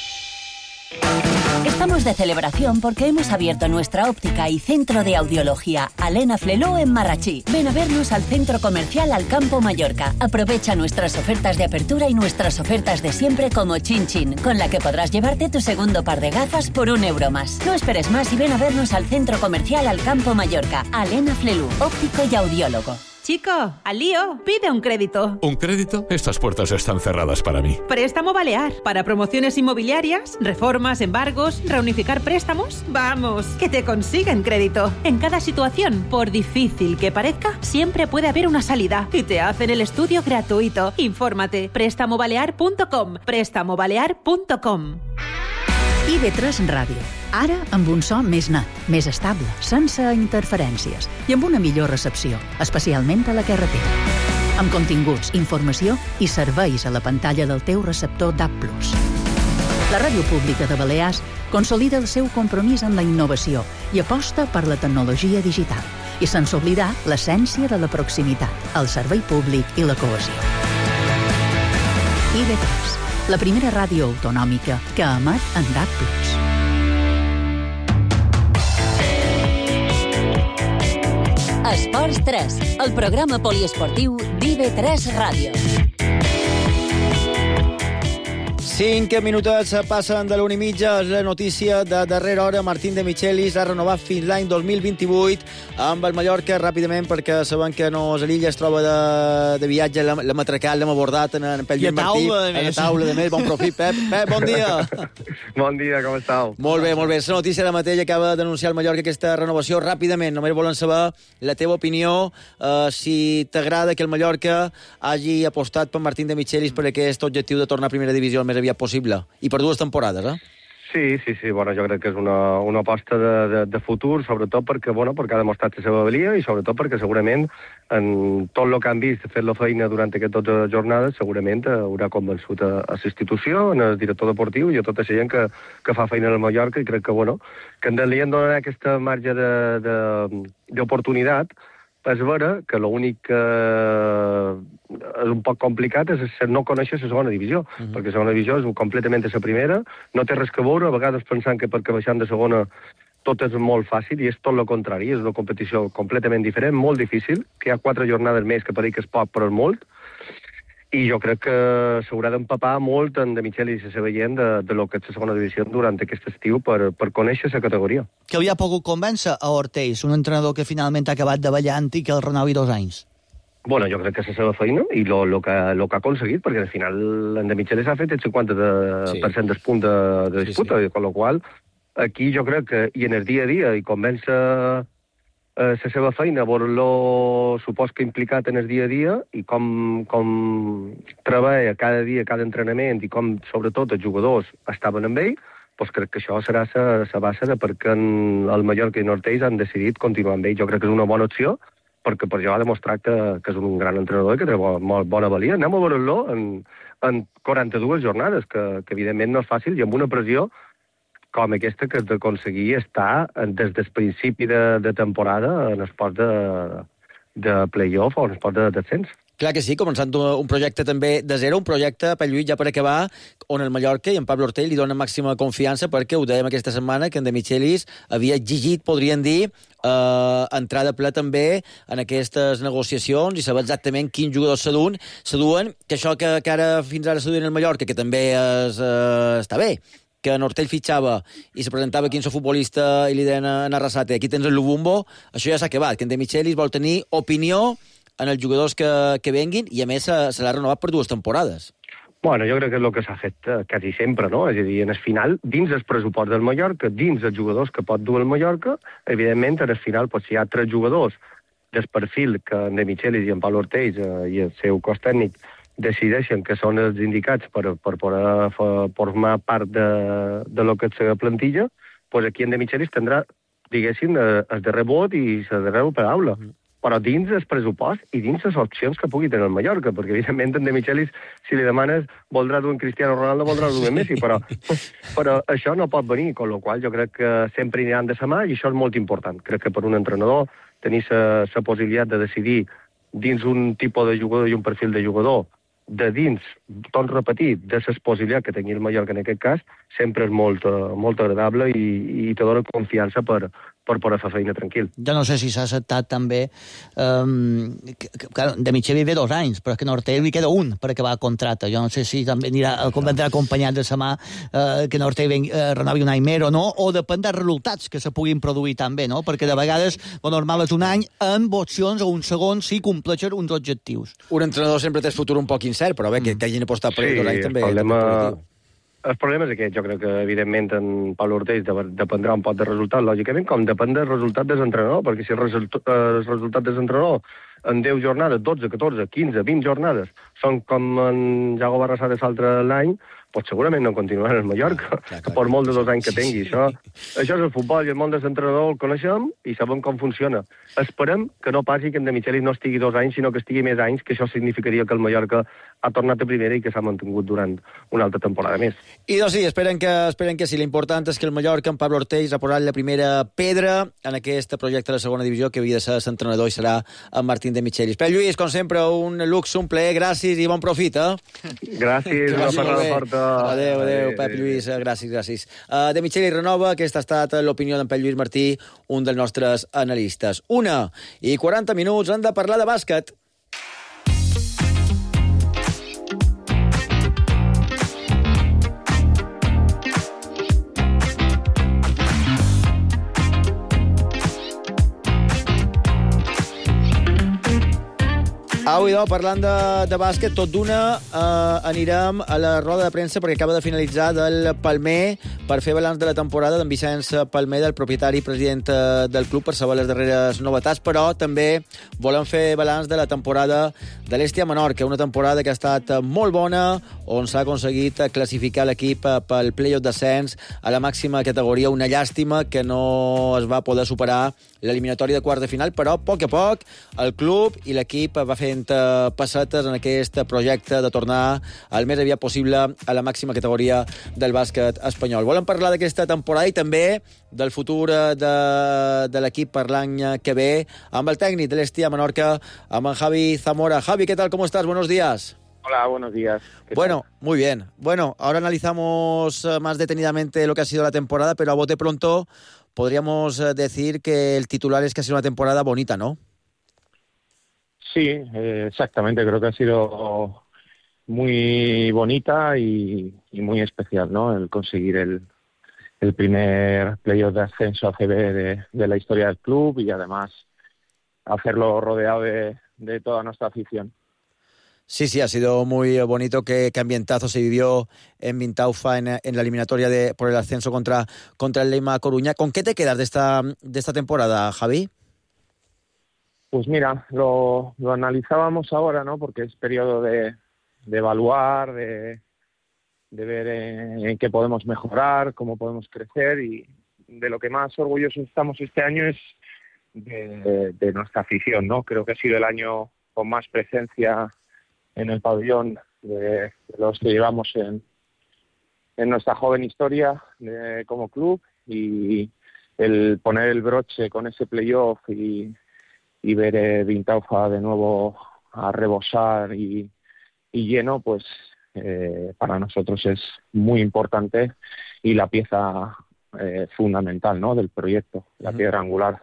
Estamos de celebración porque hemos abierto nuestra óptica y centro de audiología Alena Fleló en Marrachí. Ven a vernos al centro comercial Alcampo Mallorca. Aprovecha nuestras ofertas de apertura y nuestras ofertas de siempre como Chin Chin, con la que podrás llevarte tu segundo par de gafas por un euro más. No esperes más y ven a vernos al centro comercial Alcampo Mallorca. Alena Flelú, óptico y audiólogo. Chico, al lío, pide un crédito. ¿Un crédito? Estas puertas están cerradas para mí. Préstamo Balear. Para promociones inmobiliarias, reformas, embargos, reunificar préstamos. Vamos, que te consiguen crédito. En cada situación, por difícil que parezca, siempre puede haber una salida. Y te hacen el estudio gratuito. Infórmate. préstamo balear punto com. préstamo balear punto com. I B tres Ràdio. Ara amb un so més net, més estable, sense interferències i amb una millor recepció, especialment a la carretera. Amb continguts, informació i serveis a la pantalla del teu receptor D A B plus. La Ràdio Pública de Balears consolida el seu compromís amb la innovació i aposta per la tecnologia digital i sense oblidar l'essència de la proximitat, el servei públic i la cohesió. I B tres, la primera ràdio autonòmica que emet en D A B plus. Esports tres, el programa poliesportiu d'I B tres Ràdio. Cinc minutets passen de l'una i mitja. És la notícia de darrera hora. Martín De Michelis ha renovat fins l'any dos mil vint-i-vuit amb el Mallorca, ràpidament, perquè saben que no és a l'illa, es troba de, de viatge, l'hem atracat, l'hem abordat en, en Pell Martí. A la taula, de més. Bon profit, Pep. Pep, bon dia. Bon dia, com estàu? Molt bé, molt bé. La notícia ara mateix acaba d'anunciar el Mallorca aquesta renovació ràpidament. Només volen saber la teva opinió, eh, si t'agrada que el Mallorca hagi apostat per Martín De Michelis per aquest objectiu de tornar a primera divisió el més aviat possible, i per dues temporades, eh? Sí, sí, sí, bueno, jo crec que és una, una aposta de, de, de futur, sobretot perquè, bueno, perquè ha demostrat la seva valia i sobretot perquè segurament en tot el que han vist fet la feina durant aquestes dotze jornades segurament haurà convençut a, a la institució, en el director deportiu i a tota la gent que, que fa feina al Mallorca, i crec que, bueno, que en li han donat aquesta marge d'oportunitat. És vera que l'únic que és un poc complicat és no conèixer la segona divisió, uh-huh. perquè la segona divisió és completament a la primera, no té res que veure, a vegades pensant que perquè baixant de segona tot és molt fàcil, i és tot el contrari, és una competició completament diferent, molt difícil, que hi ha quatre jornades més que pareix que és poc, però és molt, i jo crec que s'haurà d'empapar molt en De Michelis i la seva gent de, de lo que és la segona divisió durant aquest estiu per, per conèixer la categoria. Que havia pogut convèncer a Ortiz, un entrenador que finalment ha acabat davallant i que el renovi dos anys. Bueno, jo crec que és la seva feina i lo, lo, que, lo que ha aconseguit, perquè al final en De Michelis ha fet el cinquanta per cent del punt de, de disputa, sí, sí. Con lo qual aquí jo crec que, i en el dia a dia, i convèncer la eh, seva feina, veure-lo, supos que implicat en el dia a dia, i com, com treballa cada dia, cada entrenament, i com, sobretot, els jugadors estaven amb ell, doncs crec que això serà la base de per què el Mallorca i Ortiz han decidit continuar amb ell. Jo crec que és una bona opció, perquè per això ha demostrat que, que és un gran entrenador i que té molt bona valia. Anem a veure-lo en, en quaranta-dues jornades, que, que evidentment no és fàcil, i amb una pressió com aquesta que has d'aconseguir estar des del principi de, de temporada en esport de, de play-off o en esport de descens. Clar que sí, començant un projecte també de zero, un projecte, per Lluís, ja per acabar, on el Mallorca i en Pablo Ortell li dona màxima confiança, perquè ho dèiem aquesta setmana, que en De Michelis havia exigit, podríem dir, eh, entrar de ple també en aquestes negociacions i saber exactament quins jugadors s'aduen, s'aduen, que això que, que ara fins ara s'aduen el Mallorca, que també és, eh, està bé, que en Ortell fitxava i se presentava quinze futbolista i li deien a Arrasate, aquí tens el Lubumbo, això ja s'ha acabat, que en De Michelis vol tenir opinió en els jugadors que, que venguin, i a més se, se l'ha renovat per dues temporades. Bueno, jo crec que és el que s'ha fet eh, quasi sempre, no? És a dir, en el final, dins el pressupost del Mallorca, dins els jugadors que pot dur el Mallorca, evidentment, en el final, pues, si hi ha tres jugadors del perfil que en De Michelis i en Pablo Ortell eh, i el seu cos tècnic decideixen que són els indicats per, per poder formar part de, de lo que és la plantilla, pues aquí en De Michelis tindrà, diguéssim, el darrer vot i la darrera paraula. Mm. Però dins el pressupost i dins les opcions que pugui tenir el Mallorca, perquè evidentment en De Michelis, si li demanes, voldrà dur un Cristiano Ronaldo, voldrà dur un Messi, però, però això no pot venir, amb la qual jo crec que sempre aniran de sa mà, i això és molt important. Crec que per un entrenador tenir la possibilitat de decidir dins un tipus de jugador i un perfil de jugador, de dins, tot repetit, de la possibilitat que tingui el Mallorca en aquest cas, sempre és molt, molt agradable i, i te dona confiança per, per poder fer feina tranquil. Jo no sé si s'ha acceptat també... Um, que, que, clar, De Michelis ve dos anys, però que a Ortell li queda un per acabar el contracte. Jo no sé si també anirà, vendrà acompanyat de sa mà uh, que Ortell uh, renovi un any més o no, o depèn dels resultats que se puguin produir també, no? Perquè de vegades lo normal és un any amb opcions o un segon si compleixen uns objectius. Un entrenador sempre té el futur un poc incert, però bé, que, que hagin apostat per sí, ell dos anys també. El problema... El problema és aquest. Jo crec que, evidentment, en Pablo Ortell dependrà un poc del resultat, lògicament, com depèn del resultat del entrenador, perquè si el, result, el resultat del entrenador en deu jornades, dotze, catorze, quinze, vint jornades, són com en Jago Barrasate l'altre l'any, pues segurament no continuarà en el Mallorca, clar, clar, clar, per molt de dos anys que tingui. Sí, sí. Això, això és el futbol, i el món de l'entrenador el coneixem i sabem com funciona. Esperem que no passi que en De Michelis no estigui dos anys, sinó que estigui més anys, que això significaria que el Mallorca ha tornat a primera i que s'ha mantingut durant una altra temporada més. I doncs sí, esperen que, esperen que sí. L'important és que el Mallorca, en Pablo Ortell, ha posat la primera pedra en aquest projecte de la segona divisió, que havia de ser l'entrenador i serà en Martín De Michelis. Però Lluís, com sempre, un luxe, un plaer, gràcies i bon profit, eh? Gràcies, una parada forta. Adéu, adéu, Pep Lluís, gràcies, gràcies. Uh, De Michelis renova, aquesta ha estat l'opinió d'en Pep Lluís Martí, un dels nostres analistes. Una i quaranta minuts, han de parlar de bàsquet. Avui, doncs, parlant de, de bàsquet, tot d'una eh, anirem a la roda de premsa perquè acaba de finalitzar del Palmer per fer balanç de la temporada d'en Vicenç Palmer, del propietari i president del club, per saber les darreres novetats, però també volem fer balanç de la temporada de l'Hèstia Menorca, una temporada que ha estat molt bona, on s'ha aconseguit classificar l'equip pel play-off d'ascens a la màxima categoria. Una llàstima que no es va poder superar l'eliminatòria de quarts de final, però a poc a poc el club i l'equip va fent passetes en aquest projecte de tornar al més aviat possible a la màxima categoria del bàsquet espanyol. Volem parlar d'aquesta temporada i també del futur de, de l'equip per l'any que ve amb el tècnic de l'Hèstia Menorca, amb en Javi Zamora. Javi, ¿qué tal? ¿Cómo estás? Buenos días. Hola, buenos días. Bueno, tal? Muy bien. Bueno, ahora analizamos más detenidamente lo que ha sido la temporada, pero a bote pronto podríamos decir que el titular es que ha sido una temporada bonita, ¿no? Sí, eh, exactamente. Creo que ha sido muy bonita y, y muy especial, ¿no? El conseguir el, el primer playoff de ascenso a C B de, de la historia del club y además hacerlo rodeado de, de toda nuestra afición. Sí, sí, ha sido muy bonito. Qué, qué ambientazo se vivió en Vintaufa en, en la eliminatoria de, por el ascenso contra, contra el Leima Coruña. ¿Con qué te quedas de esta, de esta temporada, Javi? Pues mira, lo, lo analizábamos ahora, ¿no? Porque es periodo de, de evaluar, de, de ver en, en qué podemos mejorar, cómo podemos crecer, y de lo que más orgullosos estamos este año es de, de nuestra afición, ¿no? Creo que ha sido el año con más presencia en el pabellón de, de los que llevamos en, en nuestra joven historia de, como club, y el poner el broche con ese playoff y y ver eh, Vintaufa de nuevo a rebosar y, y lleno, pues eh, para nosotros es muy importante y la pieza eh, fundamental, ¿no?, del proyecto, la piedra angular,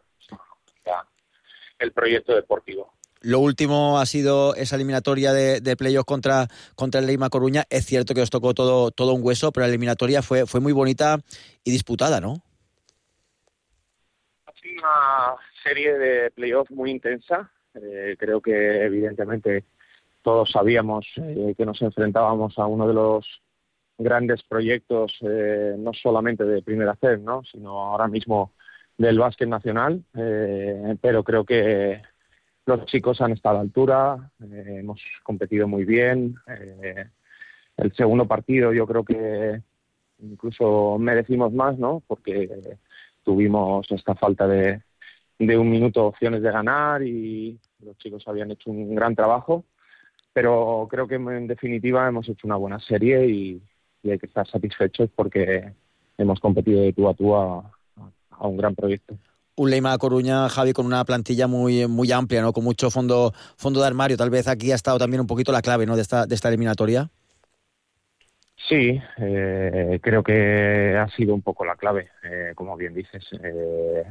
la, el proyecto deportivo. Lo último ha sido esa eliminatoria de, de playoff contra, contra el Leima Coruña. Es cierto que os tocó todo, todo un hueso, pero la eliminatoria fue, fue muy bonita y disputada, ¿no? Ha sido una serie de playoff muy intensa. Eh, creo que evidentemente todos sabíamos eh, que nos enfrentábamos a uno de los grandes proyectos, eh, no solamente de Primera C, ¿no?, sino ahora mismo del básquet nacional. Eh, pero creo que los chicos han estado a la altura, eh, hemos competido muy bien. Eh, el segundo partido yo creo que incluso merecimos más, ¿no?, porque tuvimos esta falta de, de un minuto opciones de ganar y los chicos habían hecho un gran trabajo. Pero creo que en definitiva hemos hecho una buena serie y, y hay que estar satisfechos porque hemos competido de tú a tú a, a un gran proyecto. Un Leima Coruña, Javi, con una plantilla muy muy amplia, ¿no?, con mucho fondo fondo de armario. Tal vez aquí ha estado también un poquito la clave, ¿no?, de esta de esta eliminatoria. Sí, eh, creo que ha sido un poco la clave, eh, como bien dices. Eh,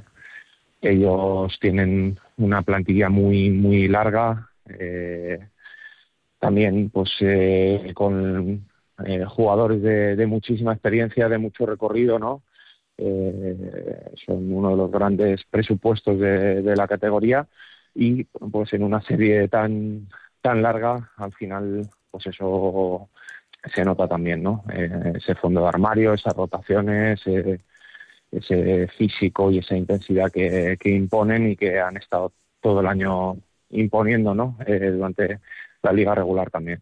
ellos tienen una plantilla muy muy larga, eh, también pues eh, con eh, jugadores de, de muchísima experiencia, de mucho recorrido, ¿no? Eh, son uno de los grandes presupuestos de, de la categoría y pues en una serie tan tan larga al final pues eso se nota también, ¿no? Eh, ese fondo de armario, esas rotaciones, eh, ese físico y esa intensidad que, que imponen y que han estado todo el año imponiendo, ¿no?, eh, durante la liga regular también.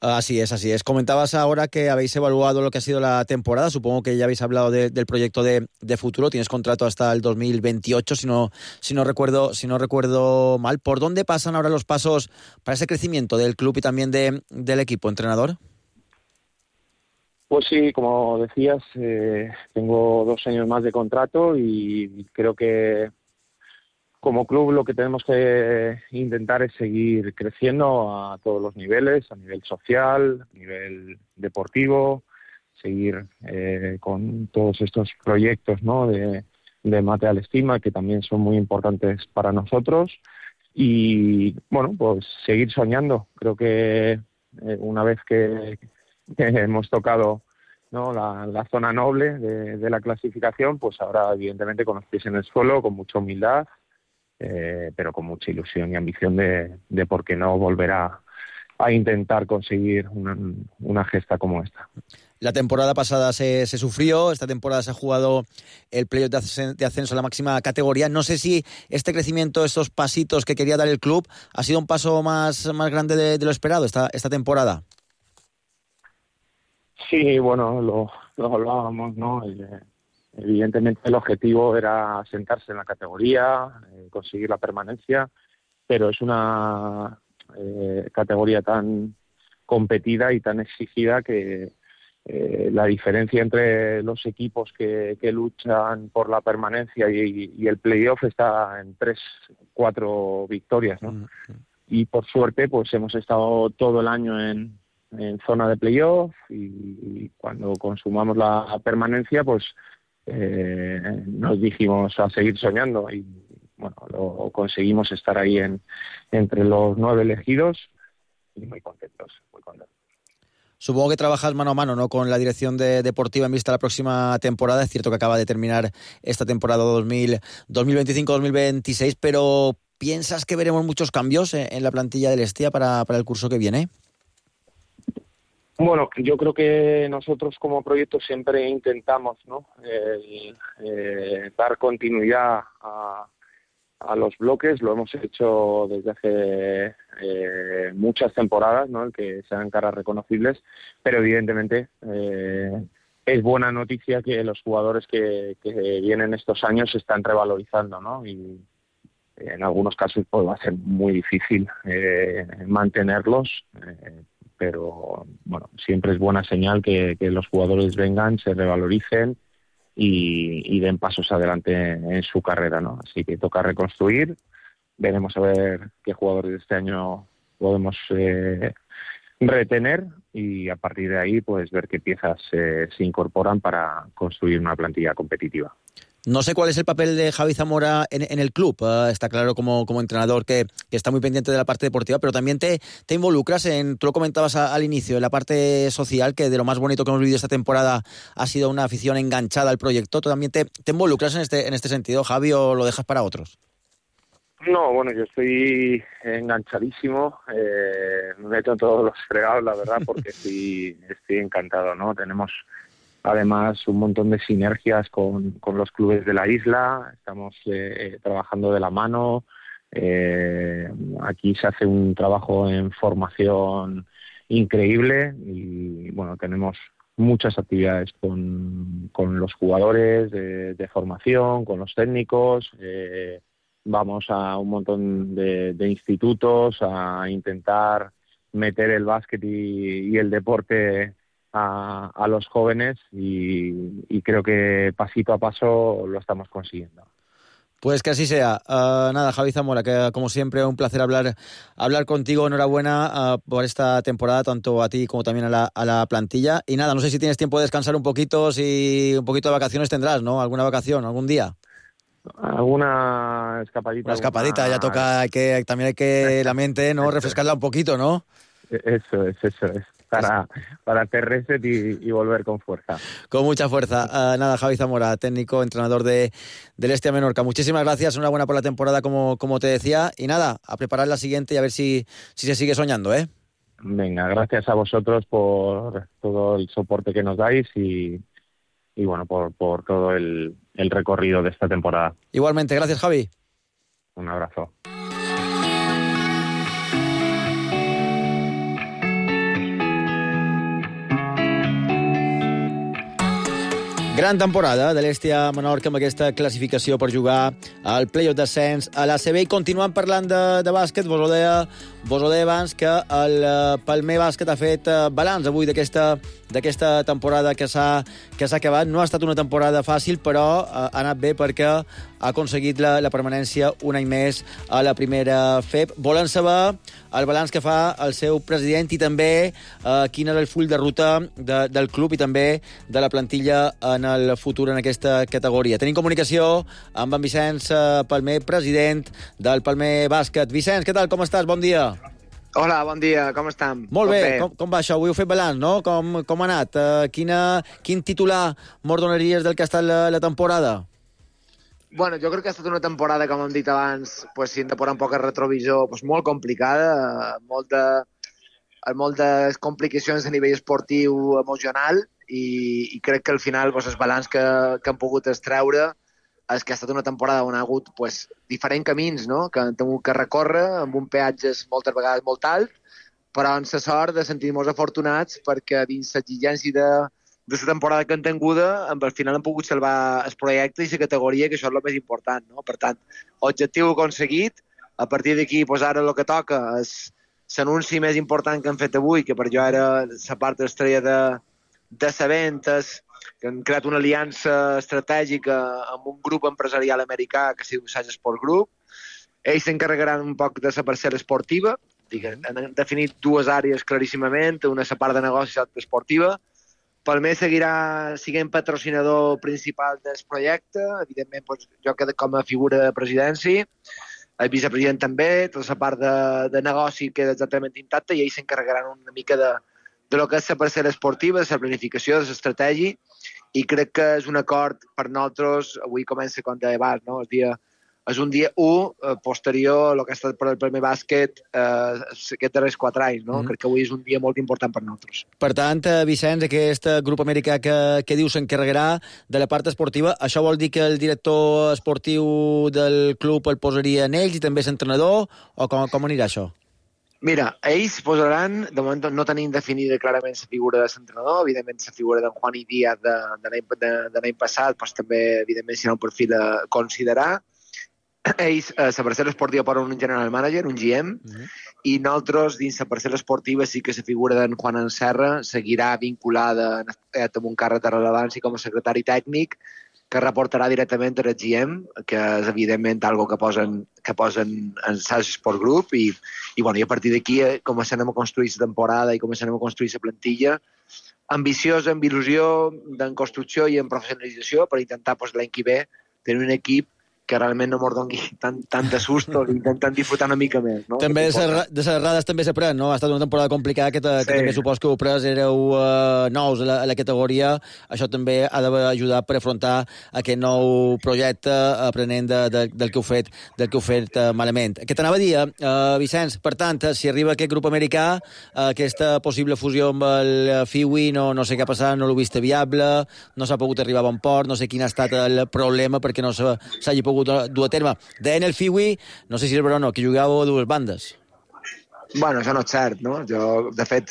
Así es, así es. Comentabas ahora que habéis evaluado lo que ha sido la temporada. Supongo que ya habéis hablado de, del proyecto de, de futuro. Tienes contrato hasta el dos mil veintiocho, si no, si no recuerdo, si no recuerdo mal. ¿Por dónde pasan ahora los pasos para ese crecimiento del club y también de, del equipo, entrenador? Pues sí, como decías, eh, tengo dos años más de contrato y creo que como club lo que tenemos que intentar es seguir creciendo a todos los niveles, a nivel social, a nivel deportivo, seguir eh, con todos estos proyectos, ¿no?, de, de Material Estima, que también son muy importantes para nosotros. Y bueno, pues seguir soñando. Creo que eh, una vez que, que hemos tocado, ¿no?, la, la zona noble de, de la clasificación, pues ahora evidentemente con los pies en el suelo, con mucha humildad, Eh, pero con mucha ilusión y ambición de, de por qué no volver a, a intentar conseguir una, una gesta como esta. La temporada pasada se, se sufrió, esta temporada se ha jugado el playoff de, ascen- de ascenso a la máxima categoría. No sé si este crecimiento, estos pasitos que quería dar el club, ha sido un paso más, más grande de, de lo esperado esta, esta temporada. Sí, bueno, lo, lo hablábamos, ¿no? El, Evidentemente el objetivo era asentarse en la categoría, eh, conseguir la permanencia, pero es una eh, categoría tan competida y tan exigida que eh, la diferencia entre los equipos que, que luchan por la permanencia y, y el playoff está en tres, cuatro victorias, ¿no? Mm-hmm. Y por suerte pues hemos estado todo el año en, en zona de playoff y, y cuando consumamos la permanencia pues Eh, nos dijimos a seguir soñando y bueno, lo conseguimos estar ahí en entre los nueve elegidos y muy contentos, muy contentos. Supongo que trabajas mano a mano, ¿no?, con la dirección de, deportiva en vista a la próxima temporada. Es cierto que acaba de terminar esta temporada dos mil, dos mil veinticinco dos mil veintiséis, pero ¿piensas que veremos muchos cambios en, en la plantilla del Hestia para, para el curso que viene? Bueno, yo creo que nosotros como proyecto siempre intentamos, ¿no?, eh, eh, dar continuidad a, a los bloques. Lo hemos hecho desde hace eh, muchas temporadas, ¿no?, el que sean caras reconocibles, pero evidentemente eh, es buena noticia que los jugadores que, que vienen estos años se están revalorizando, ¿no?, y en algunos casos pues, va a ser muy difícil eh, mantenerlos, eh, pero bueno, siempre es buena señal que, que los jugadores vengan, se revaloricen y, y den pasos adelante en su carrera, ¿no? Así que toca reconstruir, veremos a ver qué jugadores de este año podemos eh, retener y a partir de ahí pues ver qué piezas eh, se incorporan para construir una plantilla competitiva. No sé cuál es el papel de Javi Zamora en, en el club. Uh, está claro como, como entrenador que, que está muy pendiente de la parte deportiva, pero también te, te involucras en, tú lo comentabas a, al inicio, en la parte social, que de lo más bonito que hemos vivido esta temporada ha sido una afición enganchada al proyecto. ¿Tú también te, te involucras en este, en este sentido, Javi, o lo dejas para otros? No, bueno, yo estoy enganchadísimo, eh, me meto todos los fregados, la verdad, porque estoy, estoy encantado, ¿no? Tenemos además un montón de sinergias con, con los clubes de la isla, estamos eh, trabajando de la mano, eh, aquí se hace un trabajo en formación increíble y bueno, tenemos muchas actividades con, con los jugadores de, de formación, con los técnicos, eh, vamos a un montón de, de institutos a intentar meter el básquet y, y el deporte A, a los jóvenes y, y creo que pasito a paso lo estamos consiguiendo. Pues que así sea. Uh, nada, Javi Zamora, que como siempre un placer hablar hablar contigo. Enhorabuena uh, por esta temporada, tanto a ti como también a la, a la plantilla. Y nada, no sé si tienes tiempo de descansar un poquito, si un poquito de vacaciones tendrás, ¿no? ¿Alguna vacación, algún día? Alguna escapadita. Una escapadita, alguna... ya toca, hay que, también hay que la mente, ¿no? Refrescarla un poquito, ¿no? Eso es, eso es. Para, para hacer reset y, y volver con fuerza. Con mucha fuerza. Uh, nada, Javi Zamora, técnico, entrenador de, del Hestia Menorca. Muchísimas gracias, enhorabuena por la temporada, como, como te decía. Y nada, a preparar la siguiente y a ver si, si se sigue soñando, ¿eh? Venga, gracias a vosotros por todo el soporte que nos dais y, y bueno, por, por todo el, el recorrido de esta temporada. Igualmente, gracias, Javi. Un abrazo. Gran temporada de l'Hestia Menorca amb aquesta classificació per jugar al play-off d'ascens a l'A C B. I continuant parlant de, de bàsquet, vos ho deia, vos ho deia abans que el Palmer Bàsquet ha fet balanç avui d'aquesta d'aquesta temporada que s'ha que s'ha acabat. No ha estat una temporada fàcil, però ha anat bé perquè ha aconseguit la, la permanència un any més a la primera F E B. Volen saber el balanç que fa el seu president i també eh, quin és el full de ruta de, del club i també de la plantilla en el futur en aquesta categoria. Tenim comunicació amb en Vicenç Palmer, president del Palmer Bàsquet. Vicenç, què tal? Com estàs? Bon dia. Hola, bon dia, com estem? Molt bé, bé. Com, com va això? Avui heu fet balanç, no? Com, com ha anat? Uh, quina, quin titular mos donaries del que ha estat la, la temporada? Bueno, jo crec que ha estat una temporada, com hem dit abans, pues, si hem de posar un poc a retrovisor, pues, molt complicada, molt de, moltes complicacions a nivell esportiu, emocional, i, i crec que al final pues, el balanç que, que hem pogut extreure és que ha estat una temporada on ha hagut pues, diferents camins, no? Que hem hagut que recórrer amb un peatge moltes vegades molt alt, però amb la sort de sentir-nos afortunats perquè dins l'exigència de d'aquesta temporada que hem tinguda, al final hem pogut salvar el projecte i la categoria, que això és el més important, no? Per tant, objectiu aconseguit, a partir d'aquí pues, ara el que toca és l'anunci més important que hem fet avui, que per jo era la part estrella de, de Sabent, és que han creat una aliança estratègica amb un grup empresarial americà que es diu Sage Sport Group. Ells s'encarregaran un poc de la parcel·la esportiva, han definit dues àrees claríssimament, una la part de negoci i l'altra esportiva. Palmer seguirà sent patrocinador principal del projecte, evidentment doncs, jo quedo com a figura de presidència, el vicepresident també, tota la part de, de negoci queda exactament intacta i ells s'encarregaran una mica de, de lo que és la parcel·la esportiva, de la planificació, de l'estratègia, i crec que és un acord per nosaltres, avui comença com deia abans, no? El dia, és un dia u eh, posterior a lo que ha estat per el Palmer Bàsquet eh, aquests darrers quatre anys, no? Mm. Crec que avui és un dia molt important per nosaltres. Per tant, Vicenç, aquest grup americà que, que diu s'encarregarà de la part esportiva, això vol dir que el director esportiu del club el posaria en ells i també l'entrenador, o com, com anirà això? Mira, ells posaran, de moment no tenim definida clarament la figura de l'entrenador, evidentment la figura d'en Juan i Díaz de, de l'any passat, doncs també evidentment serà un perfil a considerar. Ells, a la parcel·la esportiva posen un general manager, un G M, uh-huh. i nosaltres, dins la parcel·la esportiva, sí que la figura d'en Juan Anserra seguirà vinculada amb un càrrec de rellevància com a secretari tècnic, que reportarà directament a G M, que és evidentment algo que posen, que posen en Sage Sport Group, i, i, bueno, i a partir d'aquí començarem a construir la temporada i començarem a construir la plantilla ambiciosa, amb il·lusió, en construcció i en professionalització, per intentar pues, l'any que ve tenir un equip que realment no mos doni tant, tant de susto i intentant disfrutar una mica més. No? També de les errades també s'aprèn, no? Ha estat una temporada complicada que, te, sí. que també supos que heu pres, éreu uh, nous a la, a la categoria. Això també ha d'ajudar per afrontar aquest nou projecte aprenent de, de, del que heu fet, del que heu fet uh, malament. Què t'anava a dir, uh, Vicenç? Per tant, si arriba aquest grup americà, uh, aquesta possible fusió amb el F I U I, no, no sé què ha passat, no l'ho vist viable, no s'ha pogut arribar a bon port, no sé quin ha estat el problema perquè no s'hagi pogut dur a terme. Deien el F I U I, no sé si és vera o no, que jugàveu a dues bandes. Bueno, això no és cert, no? Jo, de fet,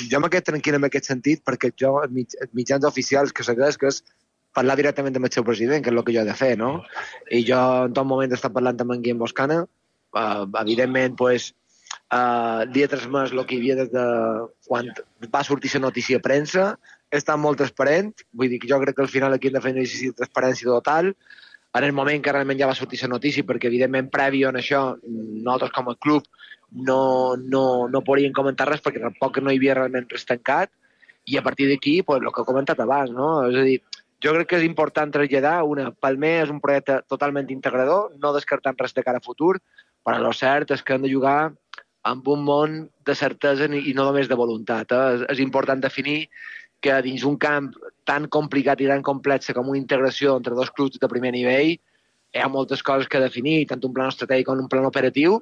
jo me quedo tranquil en aquest sentit perquè jo, els mitjans oficials que segueix, que és parlar directament amb el seu president, que és el que jo he de fer, no? I jo en tot moment he estat parlant amb en Guillem Boscana, uh, evidentment, pues, uh, li he transmès el que hi havia des de quan va sortir la notícia a premsa, he estat molt transparent, vull dir que jo crec que al final aquí hem de fer un exercici de transparència total, en el moment que realment ja va sortir la notícia, perquè evidentment previ a això nosaltres com a club no, no, no podíem comentar res perquè tampoc no hi havia realment res tancat, i a partir d'aquí, pues, el que he comentat abans, no? És a dir, jo crec que és important traslladar una, Palmer és un projecte totalment integrador, no descartant res de cara a futur, però el cert és que hem de jugar amb un món de certesa i no només de voluntat. Eh? És, és important definir que dins un camp tan complicat i tan complex com una integració entre dos clubs de primer nivell hi ha moltes coses que definir, tant un plan estratègic com un plan operatiu,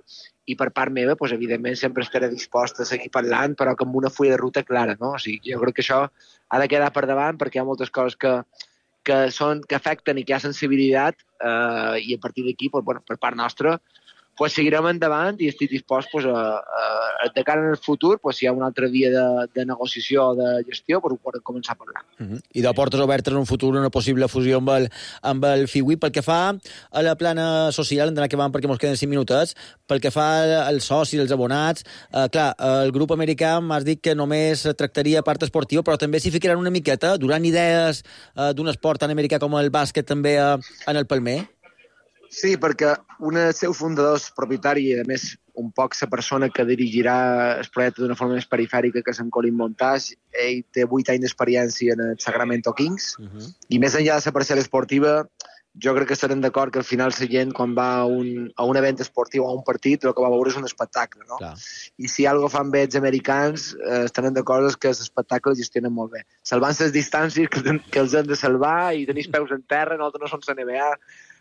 i per part meva, pues, evidentment, sempre estaré dispost a seguir parlant, però amb una fulla de ruta clara. No? O sigui, jo crec que això ha de quedar per davant perquè hi ha moltes coses que, que, són, que afecten i que hi ha sensibilitat, eh, i a partir d'aquí, pues, bueno, per part nostra, pues seguirem endavant i estic dispost pues, a, a, de cara al futur, pues, si hi ha una altra via de, de negociació o de gestió, pues, ho podem començar a parlar. Uh -huh. I de portes obertes en un futur una possible fusió amb el, amb el F I U I. Pel que fa a la plana social, hem d'anar acabant perquè ens queden cinc minutets, pel que fa als socis, als abonats, eh, clar, el grup americà m'has dit que només tractaria part esportiva, però també s'hi ficaran una miqueta, durant idees eh, d'un esport tan americà com el bàsquet també eh, en el Palmer. Sí, perquè un dels seus fundadors, propietari, i a més un poc la persona que dirigirà el projecte d'una forma més perifèrica, que és en Colin Montage, ell té vuit anys d'experiència en el Sacramento Kings, uh -huh. i més enllà de la parcel·la esportiva, jo crec que estarem d'acord que al final la gent, quan va a un, a un event esportiu o a un partit, el que va veure és un espectacle, no? Clar. I si alguna cosa fan bé els americans, eh, estarem d'acord que l'espectacle el gestionen molt bé. Salvant les distàncies que, que els han de salvar i tenir els peus en terra, nosaltres no som la N B A,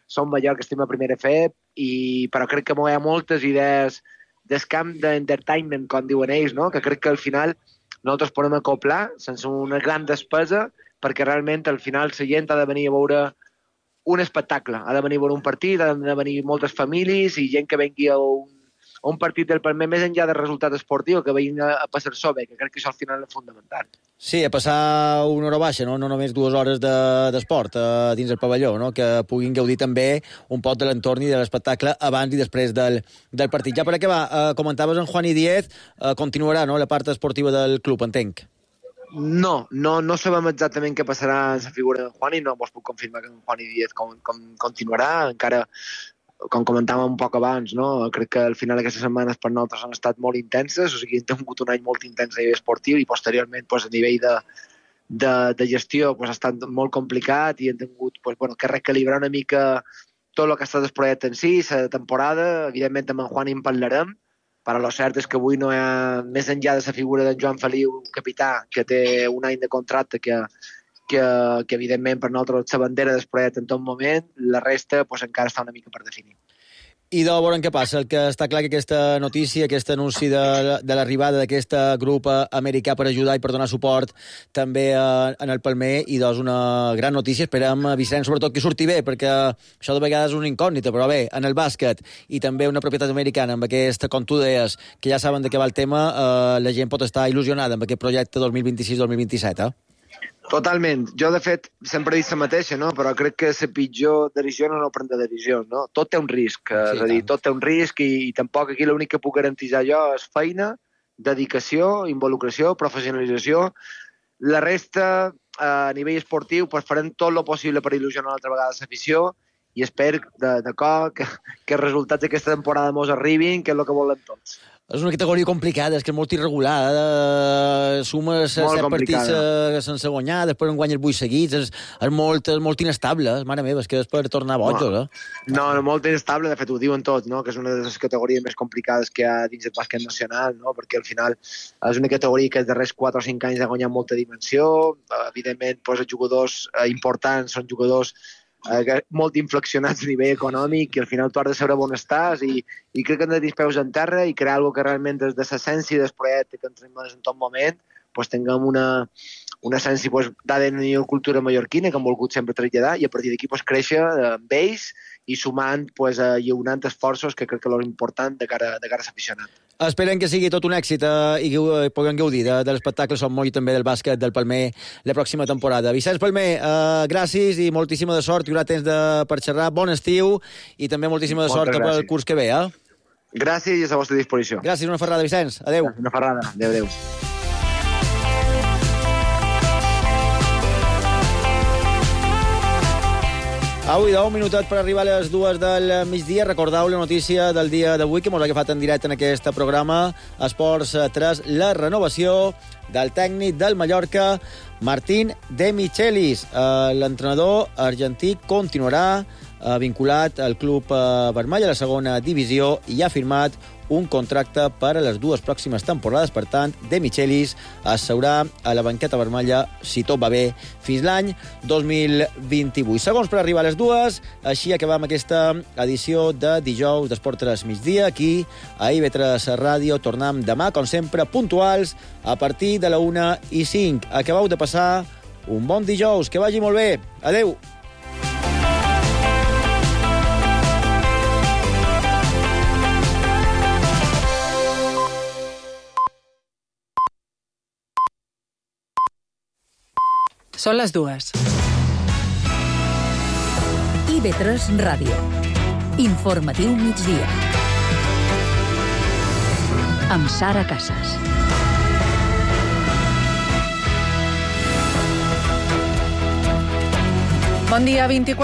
som Mallorca, estem a primera F E P, i, però crec que hi ha moltes idees del camp d'entertainment, com diuen ells, no? Que crec que al final nosaltres podem acoplar sense una gran despesa, perquè realment al final la gent ha de venir a veure un espectacle, ha de venir a veure un partit, ha de venir moltes famílies i gent que vengui a un, a un partit del Palmer, més enllà del resultat esportiu, que vegin a, a passar-s'ho bé, que crec que això al final és fundamental. Sí, a passar una hora baixa, no, no només dues hores d'esport de, eh, dins el pavelló, no? Que puguin gaudir també un poc de l'entorn i de l'espectacle abans i després del, del partit. Ja per acabar, eh, comentaves en Juan i Diez, eh, continuarà, no?, la part esportiva del club, entenc. No, no, no sabem exactament què passarà en la figura de Juan i no vos puc confirmar que en Juan i Diez com, com, continuarà, encara com comentàvem un poc abans, no? Crec que al final aquestes setmanes per nosaltres han estat molt intenses, o sigui, hem tingut un any molt intens a nivell esportiu i posteriorment pues, a nivell de, de, de gestió pues, ha estat molt complicat i hem tingut pues, bueno, que recalibrar una mica tot el que ha estat el projecte en si, la temporada. Evidentment amb en Juan hi en parlarem, però el cert és que avui no hi ha, més enllà de la figura d'en Joan Feliu, capità, que té un any de contracte que que, que evidentment per nosaltres la bandera del projecte en tot moment, la resta pues, encara està una mica per definir. I de veure què passa. El que està clar que aquesta notícia, aquest anunci de, de l'arribada d'aquest grup americà per ajudar i per donar suport també a, en el Palmer, i doncs una gran notícia. Esperem, Vicenç, sobretot que surti bé, perquè això de vegades és una incògnita, però bé, en el bàsquet i també una propietat americana, amb aquesta, com tu deies, que ja saben de què va el tema, eh, la gent pot estar il·lusionada amb aquest projecte dos mil vint-i-sis dos mil vint-i-set, eh? Totalment. Jo, de fet, sempre he dit la mateixa, no? Però crec que la pitjor decisió no és no prendre decisions, no? Tot té un risc, sí, és a dir, tot té un risc i, i tampoc aquí l'únic que puc garantir jo és feina, dedicació, involucració, professionalització. La resta, a nivell esportiu, pues, farem tot el possible per il·lusionar una altra vegada l'afició i espero de, de cor que, que els resultats d'aquesta temporada mos arribin, que és el que volem tots. És una categoria complicada, és que és molt irregular. Eh? Sumes set partits eh, sense guanyar, després en guanyes vuit seguits, és, és, molt, és molt inestable. Mare meva, és que és per tornar bojos. No, eh? no, no, molt inestable, de fet ho diuen tots, no? Que és una de les categories més complicades que hi ha dins del bàsquet nacional, no? Perquè al final és una categoria que els darrers quatre o cinc anys ha guanyat molta dimensió. Evidentment, doncs, els jugadors eh, importants són jugadors Eh, molt inflexionats a nivell econòmic i al final tu has de saber on estàs i, i crec que hem de tenir peus en terra i crear alguna que realment des de l'essència del projecte que ens tenim en tot moment pues, tinguem una, una essència pues, d'A D N i cultura mallorquina que hem volgut sempre traslladar i a partir d'aquí pues, créixer amb ells i sumant, pues, eh, lliurant esforços que crec que és important de cara, de cara a l'aficionat. Esperen que sigui tot un èxit eh, i que eh, puguem gaudir de, de l'espectacle Som Moll i també del bàsquet del Palmer la pròxima temporada. Vicenç Palmer, eh, gràcies i moltíssima de sort. Hi haurà temps de, per xerrar. Bon estiu i també moltíssima de sort per al curs que ve. Eh? Gràcies i a la vostra disposició. Gràcies, una ferrada, Vicenç. Adéu. Una ferrada. Adéu, adéu. Avui deu minutet per arribar a les dues del migdia. Recordeu la notícia del dia d'avui que ens ha agafat en directe en aquest programa. Esports tres, la renovació del tècnic del Mallorca, Martín De Michelis. Eh, L'entrenador argentí continuarà eh, vinculat al club eh, vermell a la segona divisió i ha firmat un contracte per a les dues pròximes temporades. Per tant, De Michelis es seurà a la banqueta vermella, si tot va bé, fins l'any dos mil vint-i-vuit. Segons per arribar a les dues, així acabam aquesta edició de dijous d'Esport tres migdia, aquí a I V tres Ràdio. Tornem demà, com sempre, puntuals, a partir de la una i cinc. Acabeu de passar un bon dijous, que vagi molt bé. Adéu! Són les dues. I V tres Ràdio. Informatiu migdia. Amb Sara Casas. Bon dia, vint-i-quatre